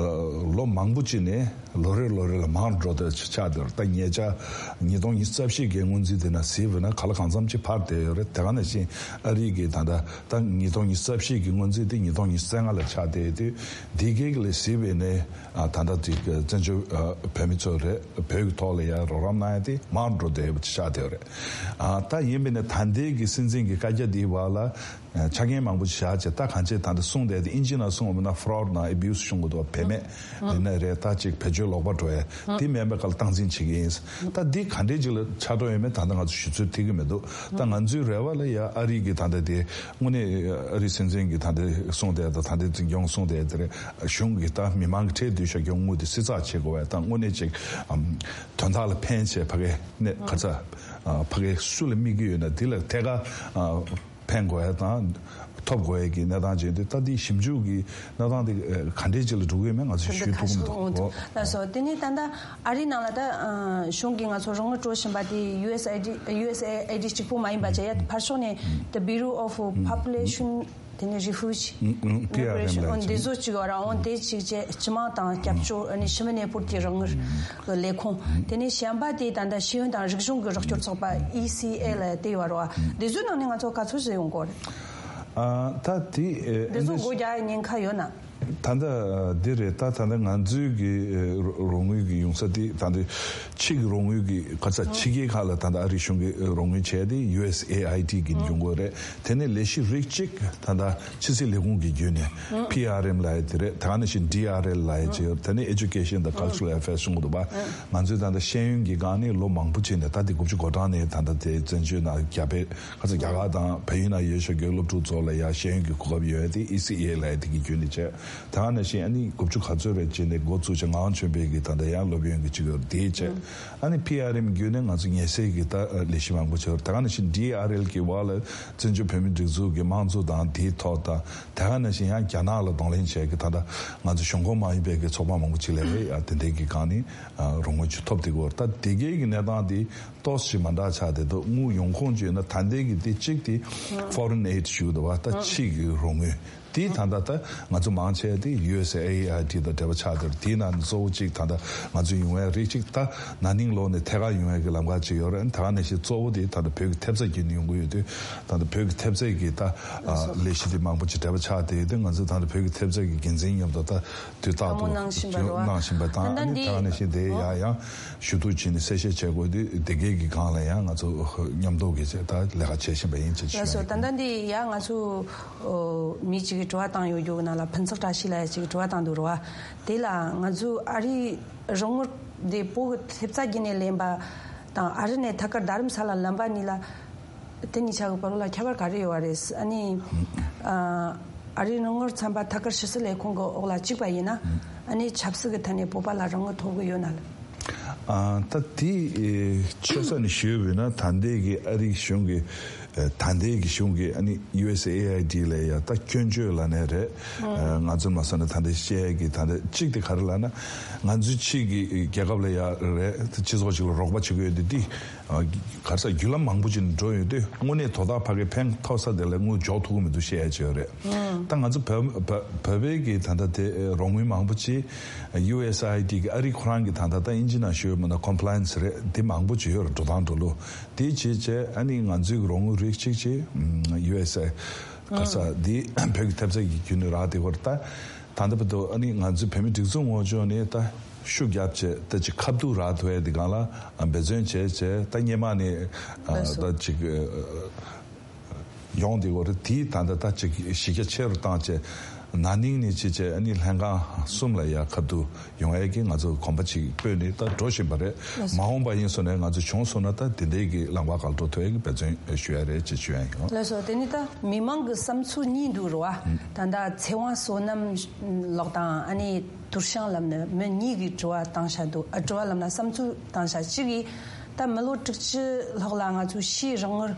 ལོ་མང་པོ་ཅིག་ནས་ལོ་རེ་ལོ་རེ་ལ་མང་འགྲོ་བསྡད་ཆགས་བསྡད་ཡོད་རེད། ད་ཉེ་ཆར་ཉིས་སྟོང་ཉི་ཤུ་རྩ་བཞི་གི་སྔོན་རྩིས་དེ་ན་གཟིགས་པ་ཡིན་ན་ག་ལ་གང་འཚམ་ཅིག་འཕར་བསྡད་ཡོད་རེད། དེ་ག་ནང་བཞིན་ཨ་རི་གི་ད་ལྟ་ད་ཉིས་སྟོང་ཉི་ཤུ་རྩ་བཞི་གི་སྔོན་རྩིས་དེ་ཉིས་སྟོང་ཉི་ཤུ་རྩ་ལྔ་ལ་ཆགས་བསྡད་ཡོད་དུས། འདི་གའི་ལ་གཟིགས་པ་ཡིན་ན་ད་ལྟ་དེ་བཙན་བྱོལ་བོད་མི་ཚོ་རེད། བོད་ཀྱི་ཐོག་ལ་ཡ་རོགས་རམ་གནང་ཡ་དེ་མང་འགྲོ་བསྡད་ཡོད་པ་ཆགས་བསྡད་ཡོད་རེད། ད་ཡིན་པ་ཡིན་ན་ད་ལྟའི་གི་སྲིད་འཛིན་གྱི་བཀའ་རྒྱ་འདིའི་བར་ལ་ཆ་རྐྱེན་མང་པོ་ཞིག་བཞག་བྱས། ད་གང་ཅི་ད་ལྟ་གསུངས་བསྡད་དེ་ཨིན་ཇི་ནང་གསུངས་པ་ན་fraud དང་abuse བྱུང་གི་འདུག་བ། བེད་མེད་ཡིན་ན་རེད། ད་ཅིག་བེད་སྤྱོད་ལོག་པ་འགྲོ་ཡ་དེ་མིན་པའི་སྐབས་ལ་སྟངས་འཛིན་བྱེད་ཀྱི་ཡིན། ད་འདི་ག་འདྲས་ཅིག་ལ་ཆགས་འགྲོ་ཡོད་མེད་ད་ལྟ་ང་ཚོ་ཞུ་ཚོད་ཐིག་གི་མི་འདུག་ད་ང་ཚོའི་རེ་བ་ལ་ཡ་ཨ་རི་གི་ད་ལྟ་དེ་དངོས་གནས་ཨ་རི་སྲིད་འཛིན་གྱི་ད་ལྟ་གསུངས་བསྡད་ད་ད་ལྟ་འཛིན་སྐྱོང་གསུངས་བསྡད་དེ་རེད། གཞུང་གི་ད་མི་མང་གི་ཁྲལ་བསྡུ་བྱ་རྒྱུ་དངུལ་དེ་སེལ་ཚར་བྱེད་དགོས་པ་ད་དངོས་གནས་ཅིག་དོན་དག་ལ་ཕན་བྱས་ཕ་གའི་གནས་ག་ཚ་ཕ་གའི་སུ་ལ་དམིགས་ཀྱི་ཡོད་ན་དེ་ལ་ཐད་ཀར། ཕན་དགོས་ཡ་དང་ཐོབ་དགོས་ཡ་གི་གནས་སྟངས་ཅན་དེ་ད་དེའི་ཞིབ་འཇུག་གི་གནས་སྟངས་དེ་ག་འདྲས་ཅིག་ལ་འགྲོ་གི་ཡོད་མེད་ང་ཚོས་ཞུ་ཐུབ་ཀྱི་མི་འདུག་ལགས་སོ། དེ་ནས་ད་ལྟ་ཨ་རིའི་ནང་ལ་ད་གཞུང་གིས་ང་ཚོ་རོགས་དངུལ་སྤྲོད་བཞིན་པ་དེ་ཡུ་ཨེས་ཨེ་ཌི་ཡུ་ཨེས་ཨེ་ཨེ་ཌི་གཅིག་པུ་མ་ཡིན་པ་བྱས་ཡ་ཕར་ཕྱོགས་ནས་the Bureau of Population དེ་ནས་Refugee Migration འོན་དེ་ཚོ་གཅིག་ཡོད་ར། འོན་དེ་གཅིག་བྱས་སྤྱི་དམངས་དང་སྐྱབས་བཅོལ་ཨ་ནི་ཕྱི་མི་གནས་སྤོར་གྱི་རོགས་དངུལ་གི་ལས་ཁུངས། དེ་ནས་གཞན་པ་དེ་ད་ལྟ་ཤེས་ཡོན་དང་རིག་གཞུང་གི་རོགས་སྐྱོར་ཚོགས་པ་ཨི་སི་ཨེ་ལ་དེ་ཡོད་ར། དེ་ཚོའི་ནང་ནས་ང་ཚོ་ག་ཚོད་ཞིག་ཡོང་གི་ཡོད་རེད། ད་དེ་དེ་ཚོ་སྒོ་རྒྱག་ཡ་ཉེན་ཁ་ཡོད་ན། ད་ལྟ་འདི་རེད། ད་ད་ལྟ་ང་ཚོའི་གི་རོགས་དངུལ་གི་ཡོང་ས་དེ་ད་ལྟ་ཕྱི་གི་རོགས་དངུལ་གི་ག་ས་ཕྱི་རྒྱལ་ཁག་ལ་ད་ལྟ་ཨ་རི་གཞུང་གི་རོགས་དངུལ་བྱས་ཏེ་ཡུ་ཨེས་ཨེ་ཨའི་ཌི་གི་ཡོང་གི་རེད། དེ་ནས་ལས་གཞི་རིགས་གཅིག་ད་ལྟ་ཕྱི་སྲིད་ལས་ཁུངས་ཀྱི་བརྒྱུད་ནས་པི་ཨར་ཨེམ་ལབ་ཡ་དེ་རེད། ད་ག་ནང་བཞིན་ཌི་ཨར་ཨེལ་ལབ་ཡ་ཅིག་ཡོད། དེ་ནས་Education དང་Cultural Affairs གསུང་གི་འདུག་པ། ང་ཚོས་ད་ལྟ་ཤེས་ཡོན་གྱི་སྒང་ནས་ལོ་མང་པོ་བྱས་ནས་ད་དེ་དགུ་བཅུ་གོ་གྲངས་ནས་ད་ལྟ་དེ་བཙན་བྱོལ་ནང་རྒྱ་བལ་ཁ་ཚ་རྒྱ་གར་དང་བལ་ཡུལ་ནང་ཡོད་ཤག་གི་སློབ་ཕྲུག་ཚོ་ལ་ཡ་ཤེས་ཡོན་གྱི་གོ་སྐབས་ཡོད་དེ་ཨི་སི་ཨེ་ལབ་ཡ་དེ་གི་བརྒྱུད་ནས་བྱས། ད་ག་ནང་བཞིན་ཨ་ནི་དགུ་བཅུ་ག་ཚོད་རེད་བྱས་ནས་འགོ་བཙུགས་བྱས་ངག་དབང་ཆོས་འཕེལ་གྱི་ད་ལྟ་ཡང་སློབ་ཡོན་གྱི་གཅིག་ཡོད་དེ་བྱས། ཨ་ནི་པི་ཨར་ཨེམ་བརྒྱུད་ནས་ང་ཚོ་ཉེ་སྲས་ཀྱི་ད་ལས་གཞི་མང་པོ་བྱས། ད་ག་ནང་བཞིན་ཌི་ཨར་ཨེལ་གྱི་འོག་ལ་བཙན་བྱོལ་བོད་མིའི་སྒྲིག་འཛུགས་ཀྱི་དམངས་གཙོ་དང་དེའི་ཐོག་དང་། ད་ག་ནང་བཞིན་ཡང་རྒྱ་ནག་ལ་གདོང་ལེན་བྱས་ཀྱི་ད་ལྟ་ང་ཚོ་གཞུང་ཁོངས་མ་ཡིན་པའི་གི་ཚོགས་པ་མང་པོ་ཅིག་ལ་རེད་ཡ། དེ་འདྲའི་གི་སྒང་ནས་རོགས་དངུལ་ཅིག་ཐོབ་དེ་གོ། ད་དེ་གའི་གི་གནས་སྟངས་དེ་ཏོག་ཙམ་མ་འདྲ་ཆགས་བསྡད་འདུག་དངུལ་ཡོང་ཁུངས་ཅིག་ཡོད་ན་ད་ལྟའི་གི་དེ་གཅིག་དེ་foreign aid ཞུ་གི་འདུག་བ། ད་ཕྱི་གི་རོགས་དངུལ་དེ་ད་ལྟ་ད་ང་ཚོ་མང་ཆེ་དེ་ཡུ་ཨེས་ཨེ་ཨའི་ཌི་དང་འབྲེལ་བ་ཆགས་བསྡད་རེད། དེའི་ནང་ནས་གཙོ་བོ་གཅིག་ད་ལྟ་ང་ཚོ་ཡོང་བའི་རིགས་གཅིག་ད་ན་ནིང་ལོ་ནས་ཐད་ཀར་ཡོང་བའི་གི་ལམ་ཁ་ཅིག་ཡོད་རེད། ད་ག་ནང་བཞིན་གཙོ་བོ་དེ་ད་ལྟ་བོད་ཀྱི་ཐེབས་རྩ་བརྒྱུད་ནས་ཡོང་གི་ཡོད་དུས་ད་ལྟ་བོད་ཀྱི་ཐེབས་རྩ་གི་ད་ལས་གཞི་དེ་མང་པོ་ཅིག་འབྲེལ་བ་ཆགས་བསྡད་ཡོད་དུས་ང་ཚོ་ད་ལྟ་བོད་ཀྱི་ཐེབས་རྩ་གི་འགན་འཛིན་མཉམ་དུ་ད་དུས་རྟག་ཏུ་བསམ་བློ་གནང་བཞིན་པ་རེད་བ། གནང་བཞིན་པ་དང་ད་ཨ་ནི་ད་ནི་ག་ནང་བཞིན་དེ་ཡ་ཡང་ཞུ་གཏུག་བྱས་ནས་གསལ་བཤད་བྱེད་དགོས་དུས་དེ་གའི་གི་སྒང་ལ་ཡང་ང་ཚོ་མཉམ་དུ་གི་བྱས་ད་ལས་ཀ་བྱེད་བཞིན་པ་ཡིན་ཅེས་ཞུ་ཡ་ཡིན། ལགས་སོ། ད་ལྟ་འདི་ཡ་ང་ཚོ་མི་གཅིག་གིས་དྲི་བ་བཏང་ཡོད་རྒྱུ་ནང་ལ་ཕུན་ཚོགས་བཀྲ་ཤིས་ལགས་ཡ་གཅིག་གིས་དྲི་བ་བཏང་འདུག་རེད་བ། དེ་ལ་ང་ཚོ་ཨ་རིའི་རོགས་དངུལ་དེ་བོད་ཀྱི་ཐེབས་རྩ་བརྒྱུད་ནས་ལེན་པ་དང་ཨ་རི་ནས་ཐད་ཀར་རྡ་རམ་ས་ལ་ལེན་པ་གཉིས་ལ། དེ་གཉིས་ཆ་གི་བར་ལ་ཁྱད་པར་ག་རེ་ཡོད་པ་རེད། ཨ་ནི་ཨ་རིའི་རོགས་དངུལ་ཚན་པ་ཐད་ཀར་ཕྱི་སྲིད་ལས་ཁུངས་ཀྱི་འོག་ལ་བཅུག་པ་ཡིན་ན་ཨ་ནི་ཆབ་སྲིད་ཀྱི་ཐད་ནས་བོད་པ་ལ་རོགས་དངུལ་ཐོབ་གི་ཡོད་ན་ལ། ཨ་ད་དེ་ཆེ་ས་ནས་ཞུས་པ་ཡིན་ན་ད་ལྟའི་གི་ཨ་རིའི་གཞུང་གི་ད་ལྟའི་གི་གཞུང་གི་ཨ་ནི་ཡུ་ཨེས་ཨེ་ཨའི་ཌི་ལ་ཡ་ད་སྐྱོན་བརྗོད་ལབ་ནའི་རེད། ང་ཚོ་མ་སོང་ན་ད་ལྟ་བཤད་གི་ད་ལྟ་གཅིག་དེ་ག་རེ་ལབ་ན་ང་ཚོའི་ཕྱི་གི་རྒྱལ་ཁབ་ལ་ཡ་རེད་སྤྱི་ཚོགས་ཅིག་ལ་རོགས་པ་བྱེད་གི་ཡོད་དུས་དེ། ག་རེ་ཟེར་བརྒྱུད་ལམ་མང་པོ་ཅིག་ནས་འགྲོ་ཡོད་དུས་དངོས་གནས་དོ་བདག་ཕ་གིར་ཕན་ཐོགས་ས་དེ་ལ་དངུལ་འཇོག་ཐུབ་ཀྱི་མི་འདུག་བཤད་ཡ་ཅིག་ཡོད་རེད། ད་ང་ཚོ་བོད་བོད་བོད་པའི་གི་ད་ལྟ་དེ་རོགས་དངུལ་མང་པོ་ཅིག་ཡུ་ཨེས་ཨའི་ཌི་གི་ཨ་རི་ཁོ་རང་གི་ད་ལྟ་ད་ཨིན་ཇི་ནང་ཞུ་ཡོད་མིན་ན་ཀོམ་པ་ལ་ཡན་སི་རེད། དེ་མང་པོ་ཅིག་ཡོད་རེད། འགྲོ་སྟངས་འགྲོ་ལུགས་དེ་བྱས་བྱས་ཨ་ནི་ང་ཚོའི་གི་རོགས་དངུལ་རིགས་གཅིག་ཅིག་ཡུ་ཨེས་ཨའི་ག་རེ་ཟེར་དེ་བོད་ཀྱི་ཐེབས་རྩ་གི་བརྒྱུད་ནས་རག་དེ་བར་ད། ད་ལྟ་བར་དུ་ཨ་ནི་ང་ཚོའི་བོད་མི་སྒྲིག་འཛུགས་ངོས་ཕྱོགས་ནས་ད་ཤུགས་རྒྱབ་བྱས་ད་ཅིག་ཁ་ཐུག་རག་ཐུབ་ཡ་དེ་སྒང་ལ་འབད་བརྩོན་བྱས་བྱས་ད་སྔོན་མ་ནས་ལགས་སོ། ད་ཅིག་ཡོང་དེ་གོ་རེད། དེའི་ད་ལྟ་ད་ཅིག་གཞི་རྒྱ་ཆེ་རུ་བཏང་བྱས་ན་ནིང་ནས་བྱས་བྱས་ཨ་ནི་ལྷན་ཁང་གསུམ་ལ་ཡ་ཁ་ཐུག་ཡོང་ཡ་གི་ང་ཚོ་གོམ་པ་ཅིག་སྤོས་ནས་ད་འགྲོ་བཞིན་པ་རེད། ལགས་སོ། མ་འོངས་པ་ཡིན་སོང་ན་ང་ཚོ་བྱུང་སོང་ན་ད་དེ་འདྲའི་གི་ལམ་ཁ་སྒང་འགྲོ་ཐུབ་ཡ་གི་འབད་བརྩོན་ཞུ་ཡ་རེད་ཅེས་ཞུ་ཡ་ཡིན། ལགས་སོ། དེ་ནི་ད་མི་མང་གི་བསམ་ཚུལ་གཉིས་འདུག་རེད་བ། ད་ལྟ་ཚེ་དབང་བསོད་ནམས་ལགས་དང་ཨ་ནི་དུར་ཤང་ལབ་ནི་མི་གཉིས་ཀྱིས་དྲི་བ་བཏང་བྱ་འདུག་ཨ། དྲི་བ་ལབ་ན་བསམ་ཚུལ་བཏང་བྱ་གཅིག་གིས་ད་མི་ལོ་དྲུག་ཅུ་ལྷག་ལ་ང་ཚོས་ཕྱིའི་རོགས་དངུལ་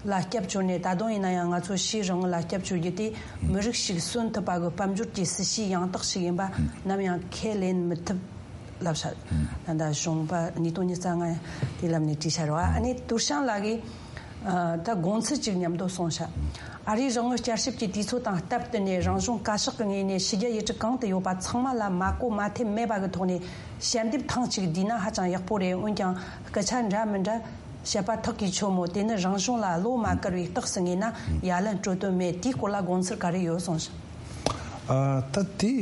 ལ་སྐྱབས་བཅོལ་ནས། ད་དུང་ཡིན་ན་ཡང་ང་ཚོ་ཕྱིའི་རོགས་དངུལ་ལ་སྐྱབས་བཅོལ་རྒྱུ་དེ་མི་རིགས་ཤིག་གསོན་ཐུབ་པ་གི་དཔལ་འབྱོར་གྱི་སྲིད་ཇུས་ཡང་དག་ཞིག་ཡིན་པ་ནམ་ཡང་ཁས་ལེན་མི་ཐུབ་ལབ་ཤག་ད་ལྟ་གཞུང་པ་ཉིས་སྟོང་ཉི་ཤུ་རྩ་ལྔ་དེ་ལམ་ནས་བྲིས་ཤར་བ། ཨ་ནི་དུར་ཤང་ལགས་ཀྱིས་ད་དགོངས་ཚུལ་གཅིག་མཉམ་དུ་གསུངས་ཤག་ཨ་རིའི་རོགས་དངུལ་བསྐྱར་ཞིབ་ཀྱི་དུས་ཚོད་དང་སྟབས་བསྟུན་ནས་རང་གཞུང་བཀའ་ཤག་གི་ངོས་ནས་ཕྱི་རྒྱལ་ཡུལ་གྲུ་གང་དུ་ཡོད་པ་ཚང་མ་ལ་མ་གོ་མ་ཐེབས་མེད་པ་གི་ཐོག་ནས་ཞལ་འདེབས་ཐེངས་གཅིག་བསྡུས་ན་ཧ་ཅང་ཡག་པོ་རེད། འོན་ཀྱང་སྐད་ཆ་འདྲ་མི་འདྲ་བཤད་པ་ཐག་གིས་ཆོད་མོད། དེ་ནི་རང་གཞུང་ལ་བློ་མ་བཀར་བའི་རྟགས་སུ་ངེས་ན་ཡ་ལན་སྤྲོད་དོན་མེད། དེའི་སྐོར་ལ་དགོངས་ཚུལ་ག་རེ་ཡོད་གསུངས་ཤག་ཨ། ད་དེ་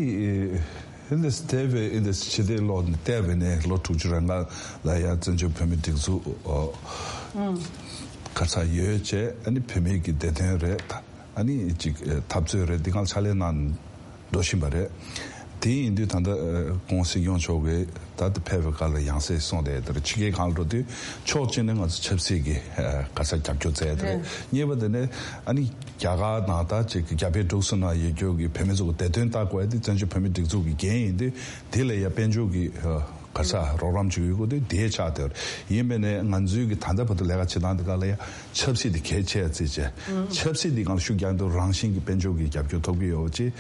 ཨིན་དེ་སི་དེ་བས་ཨིན་དེ་སི་ཕྱི་དེ་ལོ་དེ་བས་ནས་ལོ་དྲུག་ཅུ་རེ་ལྔ་ལ་ཡང་བཙན་བྱོལ་བོད་མི་སྒྲིག་འཛུགས་ག་ཚ་ཡོད་བྱས་ཨ་ནི་བོད་མི་གི་བདེ་དོན་རེད། ཨ་ནི་ཅིག་འཐབ་རྩོད་རེད། འདི་གང་ཕྱག་ལས་གནང་འགྲོ་བཞིན་པ་རེད། དེ་ཡིན་དུས་ད་ལྟ་༸གོང་ས་༸སྐྱོང་མཆོག་གིས་ད་ལྟ་ཕེབས་པའི་སྐབས་ལ་ཡང་སེ་གསུངས་ཏེ་དེར་ཕྱི་རྒྱལ་གང་ལ་འགྲོ་དུས་ཕྱོགས་གཅིག་ནས་ང་ཚོ་ཆབ་སྲིད་ཀྱི་ག་ཚ་རྒྱབ་སྐྱོར་མཛད་དེ་རེད། གཉིས་པ་དེ་ནས་ཨ་ནི་རྒྱ་གར་ནང་ད་ཅིག་རྒྱ་བལ་འབྲུག་གསུམ་ནང་ཡོད་རྒྱུ་གི་བོད་མི་ཚོ་གི་བདེ་དོན་ལྟ་དགོས་ཡ་དེ་བཙན་བྱོལ་བོད་མི་སྒྲིག་འཛུགས་ཀྱི་འགན་ཡིན་དུས་དེ་ལ་ཡ་དཔལ་འབྱོར་གྱི་ག་ས་རོགས་རམ་བྱེད་དགོས་ཀྱི་དེ་དེའི་ཆགས་དེ་རེད། ཡིན་པས་ནས་ང་ཚོའི་གི་ད་ལྟ་བར་དུ་ལས་ཀ་བྱེད་སྟངས་དེ་ག་ལ་ཡ་ཆབ་སྲིད་དེ་གལ་ཆེ་བརྩིས་བྱས། ཆབ་སྲིད་དེ་གང་ལ་ཤུགས་རྒྱག་འདུག་རང་བཞིན་གྱི་དཔལ་འབྱོར་གྱི་རྒྱབ་སྐྱོར་ཐོབ་ཀྱི་ཡོད་ཅེས་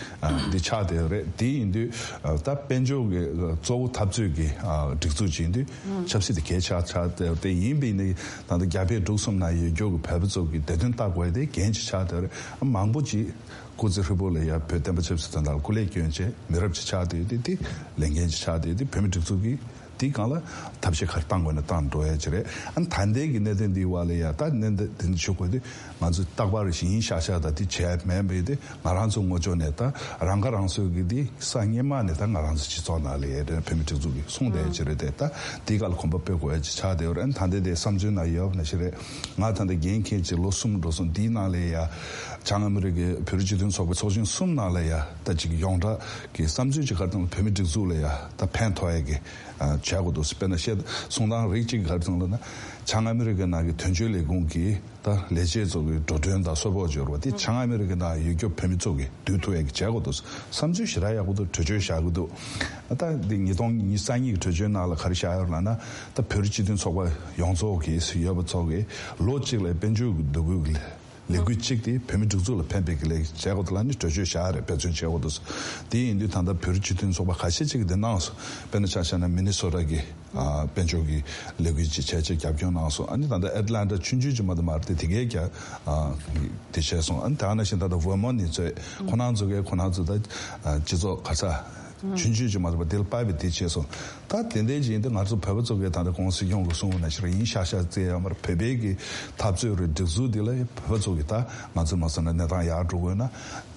འདི་ཆགས་དེ་རེད། དེ་ཡིན་དུས་ད་དཔལ་འབྱོར་གྱི་གཙོ་བོ་འཐབ་རྩོད་ཀྱི་སྒྲིག་འཛུགས་ཅིག་ཡིན་དུས་ཆབ་སྲིད་དེ་གལ་ཆགས་ཆགས་དེ་ཡིན་པས་ནི་ད་ལྟ་རྒྱ་བལ་འབྲུག་གསུམ་ན་ཡོད་རྒྱུ་གི་བོད་པ་ཚོ་གི་བདེ་དོན་ལྟ་དགོས་དེ་འགན་ཅིག་ཆགས་དེ་རེད། མང་པོ་ཅིག་སྐུ་ཚེ་ཧྲིལ་པོ་ལ་ཡ་བོད་བསྟན་པ་ཆབ་སྲིད་དོན་དག་ལ་སྐུ་ལས་བསྐྱོན་བྱས་མི་རབས་ཅིག་ཆགས་བསྡད་དེ་དེ་ལས་འགན་ཅིག་ཆགས་བསྡད་དེ་བོད་མི་སྒྲིག་འཛུགས་ཀྱི་དེའི་སྒང་ལ་ཐབས་ཤེས་ག་རེ་བཏང་དགོས་ན་བཏང་འགྲོ་ཡ་ཅིག་རེད། ཨ་ནི་ད་ལྟའི་གི་གནད་དོན་འདིའི་བར་ལ་ཡ་ད་གནད་དོན་འདི་ཆུ་བཀོད་དེ་ང་ཚོས་རྟག་པར་ཞིང་ཤ་ཤ་ད་དེ་བྱས་མེད་པའི་དེ་ང་རང་ཚོ་ངོ་ཅོག་ནས་ད་རང་ཁ་རང་གསོའི་གི་དེ་ས་སྔོན་མ་ནས་ད་ང་རང་ཚོ་སྤྱི་ཚོགས་ནང་ལ་ཡ་རེད། བོད་མི་སྒྲིག་འཛུགས་ཀྱི་གསུང་བསྡད་ཅིག་རེད། དེ་ད་དེའི་སྒང་ལ་གོམ་པ་སྤོ་དགོས་ཡ་ཅིག་ཆགས་བསྡད་ཡོད་རེད། ཨ་ནི་ད་ལྟའི་དེ་བསམ་ཚུལ་ནང་ཡོད་པ་ནང་བཞིན་རེད། ང་ད་ལྟ་འགན་འཁྱེར་ཅིག་ལོ་གསུམ་འགྲོ་སོང་། དེའི་ནང་ལ་ཡ་བྱང་ཨ་མི་རི་ཀའི་བོད་རིགས་སྤྱི་མཐུན་ཚོགས་པའི་ཚོགས་ཆེན་གསུམ་ནང་ལ་ཡ་ད་ཅིག་ཡོངས་གྲགས་ཀྱི་བསམ་ཚུལ་ཅིག་ག་རེ་བཏང་ན་བོད་མི་སྒྲིག་འཛུགས་ལ་ཡ་ད་ཕན་ཐོགས་ཡ་གི་བྱས་དགོས་འདུག་དཔེར་ན་བཤད་གསུང་སྟངས་རིགས་གཅིག་ག་རེ་བཏང་ལབ་ན་བྱང་ཨ་མི་རི་ཀའི་ནང་གི་དོན་གཅོད་ལས་ཁུངས་ཀྱི་ད་ལས་བྱེད་ཚོ་གི་འགྲོ་གྲོན་དང་གསོལ་ཕོགས་འབྱོར་བ་དེ་བྱང་ཨ་མི་རི་ཀའི་ནང་ཡོད་རྒྱུ་བོད་མི་ཚོ་གི་བསྡུ་ཐུབ་ཡ་གི་བྱས་དགོས་འདུག་བསམ་ཚུལ་ཞེ་དྲག་ཡག་པོ་འདུག་གྲོས་ཆོད་བཞག་གི་འདུག་ད་འདི་ཉིས་སྟོང་ཉི་ཤུ་རྩ་གཉིས་ཀྱི་གྲོས་ཆོད་ནང་ལ་ག་རེ་བཞག་ཡོད་ལབ་ན་ད་བོད་རིགས་སྤྱི་མཐུན་ཚོགས་པ་ཡོངས་རྫོགས་ཀྱི་ཡོད་པ་ཚོ་གི་ལོ་གཅིག་ལ་དཔལ་འབྱོར་གྱི་འདུ་འགོད་ཀྱི་ལས་འགུལ་གཅིག་དེ་བོད་མི་སྒྲིག་འཛུགས་ལ་ཕན་པའི་གི་ལས་བྱས་དགོས་འདུག་ལབ་ནས་གྲོས་ཆོད་བཞག་རེད། འབད་བརྩོན་བྱས་དགོས་འདུག་དེ་ཡིན་དུས་ད་ལྟ་བོད་རིགས་སྤྱི་མཐུན་ཚོགས་པ་ཁ་ཤས་ཅིག་གི་འདི་གནང་སོང་། དཔེར་ན་ཆ་བཞག་ན་མི་ནི་སོ་ཊ་གི་དཔལ་འབྱོར་གྱི་ལས་འགུལ་ཅིག་བྱས་བྱས་རྒྱབ་སྐྱོར་གནང་སོང་། ཨ་ནི་ད་ལྟ་ཨེ་ཊ་ལན་ཊ་ཆུང་ཆུང་ཅིག་མ་གཏོགས་མ་རེད་དེ་དེ་གས་ཀྱང་དེ་བྱས་སོང་། ཨ་ནི་དེ་ནང་བཞིན་ད་ལྟ་ཝར་མོན་ནི་ཚོས་ཁོ་རང་ཚོ་གས་ཁོ་རང་ཚོ་ད་སྤྱི་ཚོགས་ག་ས་ཆུང་ཆུང་ཅིག་མ་གཏོགས་པ་དེ་ལ་དཔའ་བའི་དེ་བྱས་སོང་། ད་དེ་འདྲའི་ཅིག་ཡིན་དུས་ང་ཚོ་བོད་པ་ཚོ་གས་ད་ལྟ་༸གོང་ས་༸སྐྱོང་གིས་གསུངས་པ་ནང་བཞིན་ཡིན་ཤག་ཤག་བརྩི་ཡ་མ་རེད། བོད་པའི་གི་འཐབ་རྩོད་རེད། སྒྲིག་འཛུགས་འདི་ལ་བོད་པ་ཚོ་གི་ད་ང་ཚོ་མ་སོང་ན་གནས་སྟངས་ཡར་འགྲོ་དགོས་ན་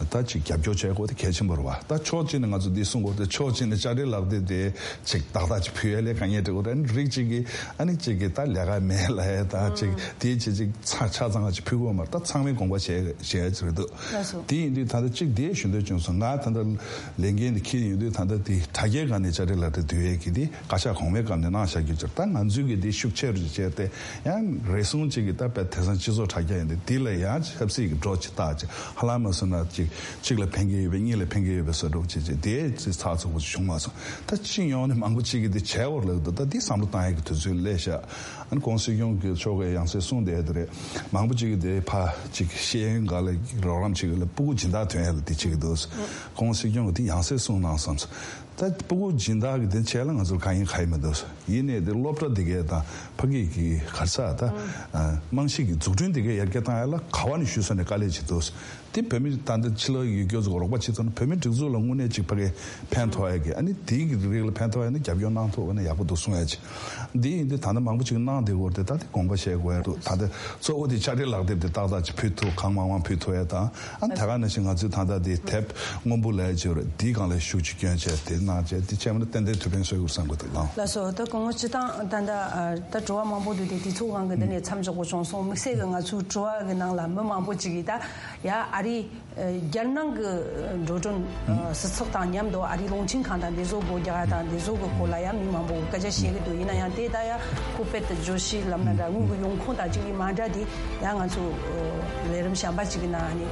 ད་ཅིག་རྒྱབ་སྐྱོར་བྱེད་དགོས་དེ་གལ་ཆེན་པོ་རེད་བ། ད་ཕྱོགས་གཅིག་ནས་ང་ཚོ་འདི་གསུང་དགོས་དེ་ཕྱོགས་གཅིག་ནས་ཅ་རི་ལག་དེབ་དེ་ཅིག་ཏག་ཏག་ཅིག་ཕུལ་ཡ་ལས་དཀའ་ངལ་འཕྲད་དགོས་རེད། རིགས་གཅིག་གིས་ཨ་ནི་གཅིག་གིས་ད་ལས་ཀ་མེད་ལབ་ཡ་ད་ཅིག་དེའི་ཅིག་ཅིག་ཆ་ཆ་ཚང་ཅིག་ཕུལ་དགོས་མ་རེད། ད་ཚང་མས་དགོངས་པ་བཞེས་བཞེས་ཡ་ཅིག་རེད་འདུག་ལགས་སོ། དེ་ཡིན་དུས་ད་ལྟ་གཅིག་དེ་ཞུ་འདོད་བྱུང་སོང་། ང་ད་ལྟ་ལས་འགན་དེ་འཁྱེར་ཡོང་དུས་ད་ལྟ་དེ་དྲ་རྒྱའི་སྒང་ནས་ཅ་རི་ལག་དེབ་བསྡུ་ཡས་ཀྱི་དེ་བཀའ་ཤག་གོང་མའི་སྐབས་ནས་གནང་བཞག་རྒྱུ་ཅིག་ད་ང་ཚོའི་གི་དེ་ཤུགས་ཆེ་རུ་བྱས་ཏེ་ཡང་རེ་ཟུང་གཅིག་གི་ད་དཔེ་དེང་སང་སྤྱི་ཚོགས་དྲ་རྒྱ་ཡིན་དུས་དེ་ལ་ཡང་ཆབ་སྲིད་ཀྱི་འགྲོ་ཅིག་བཏགས་ཅིག་ཧ་ལམ་མ་སོང་ན་ཅིག་གཅིག་ལ་ཕན་གྱི་ཡོད་པའི་གཉིས་ལ་ཕན་གྱི་ཡོད་པའི་བཟོ་འདྲ་ཅིག་ཅིག་དེ་ཅིག་ཚགས་ཚུད་པོ་ཅིག་བྱུང་མ་སོང་། ད་སྤྱི་ཡོངས་ནས་མང་པོ་ཅིག་གི་དེ་བྱས་བར་ལབ་འདུག་ད་དེ་བསམ་བློ་བཏང་ཡས་ཀྱི་དུས་ཚོད་སླེབས་ཤག་ཨ་ནི་༸གོང་ས་༸སྐྱོང་གི་མཆོག་གིས་ཡང་སེ་གསུངས་བསྡད་དེ་རེད། མང་པོ་ཅིག་གིས་དེ་ཕ་ཅིག་ཤེས་ཡོན་སྒང་ལ་རོགས་རམ་ཅིག་ལ་ཕྲུ་གུ་སྦྱིན་བདག་ཐོན་ཡ་ལ་དེ་ཅིག་འདུག ༸གོང་ས་༸སྐྱོང་གིས་དེ་ཡང་སེ་གསུངས་གནང་བསམ་སོང་། ད་སྤུ་གུ་སྦྱིན་བདག་གི་དེ་བྱས་ལ་ང་ཚོར་གང་ཡིན་ག་ཡིན་མི་འདུག་ཡིན་ནའི་དེ་སློབ་གྲྭ་འདི་གས་དང་ཕ་གི་གི་ག་རེ་ཟེར་ད། རྨང་གཞི་གི་འཛུགས་སྐྲུན་འདི་གས་ཡར་རྒྱས་བཏང་ཡ་ལ་ག་བ་ནས་ཞུ་ས་ནས་དཀའ་ལས་ཅིག་འདུག་དེ་བོད་མི་ད་ལྟ་ཕྱི་ལོགས་ཡུལ་སྐྱོར་ཚོ་རོགས་པ་བྱེད་ཐུབ་ན་བོད་མི་སྒྲིག་འཛུགས་ལ་དངོས་གནས་ཅིག་ཕ་གི་ཕན་ཐོགས་ཡ་གི། ཨ་ནི་དེའི་གི་རིགས་ལ་ཕན་ཐོགས་ཡ་ན་རྒྱབ་སྐྱོར་གནང་ཐུབ་པ་ན་ཡག་པོ་འདུག་གསུང་ཡ་ཅིག་འདི་ཡིན་དུས་ད་ལྟ་མང་པོ་ཅིག་གནང་བསྡད་ཡོད་རེད། ད་དེ་དགོངས་པ་བཞེས་དགོས་ཡ་འདུག་ད་ལྟ་གཙོ་བོ་དེ་ཕྱག་སྦྲེལ་ལག་དེབ་དེ་ཏག་ཏག་ཅིག་ཕུལ་ཐུབ། གང་མང་མང་ཕུལ་ཐུབ་ཡ་དང་། ཨ་ནི་ད་ག་ནང་བཞིན་ང་ཚོས་ད་ལྟ་དེ་དེབ་སྔོན་པོ་ལབ་ཡ་ཅིག་ཡོད་རེད། དེའི་སྒང་ལ་ཤུགས་ཅིག་སྐྱོན་བྱས་དེ་གནང་བྱས་དེ་བྱས་མ་ན་ཏན་ཏན་ཐུགས་ཕན་གསོས་ཡོད་བསམ་གི་འདུག་ལགས། ལགས་སོ། ད་སྐུ་ངོ་སྤྱི་བཏང་ད་ལྟ་ཨ་ད་དྲི་བ་མང་པོ་འདུག་དེ་དུས་ཚོད་དབང་གིས་འདི་ནས་མཚམས་འཇོག་དགོས་བྱུང་སོང་། དམིགས་བསལ་གྱི་ང་ཚོའི་དྲི་བ་གི་ནང་ལ་མི་མང་པོ་ཅིག་གིས་ད་ཡ་ཨ་རི་རྒྱལ་ནང་གི་འགྲོ་གྲོན་སྲིད་ཚགས་དང་མཉམ་དུ་ཨ་རིའི་རླུང་འཕྲིན་ཁང་དང་འདི་ཚོ་སྒོ་རྒྱག་ཡ་དང་འདི་ཚོ་གི་སྐོར་ལ་ཡང་མི་མང་པོ་སྐད་ཆ་བཤད་ཀྱི་འདུག་ཡིན་ན་ཡང་དེ་ད་ཡང་ཁོ་དཔེ་ད་བརྗོད་གཞི་ལབ་ན་འདྲ། དངུལ་གྱི་ཡོང་ཁུངས་དང་གཅིག་གི་མ་འདྲ་དེ་ཡང་ང་ཚོ་ལས་རིམ་གཞན་པ་ཅིག་གི་ནང་ནས།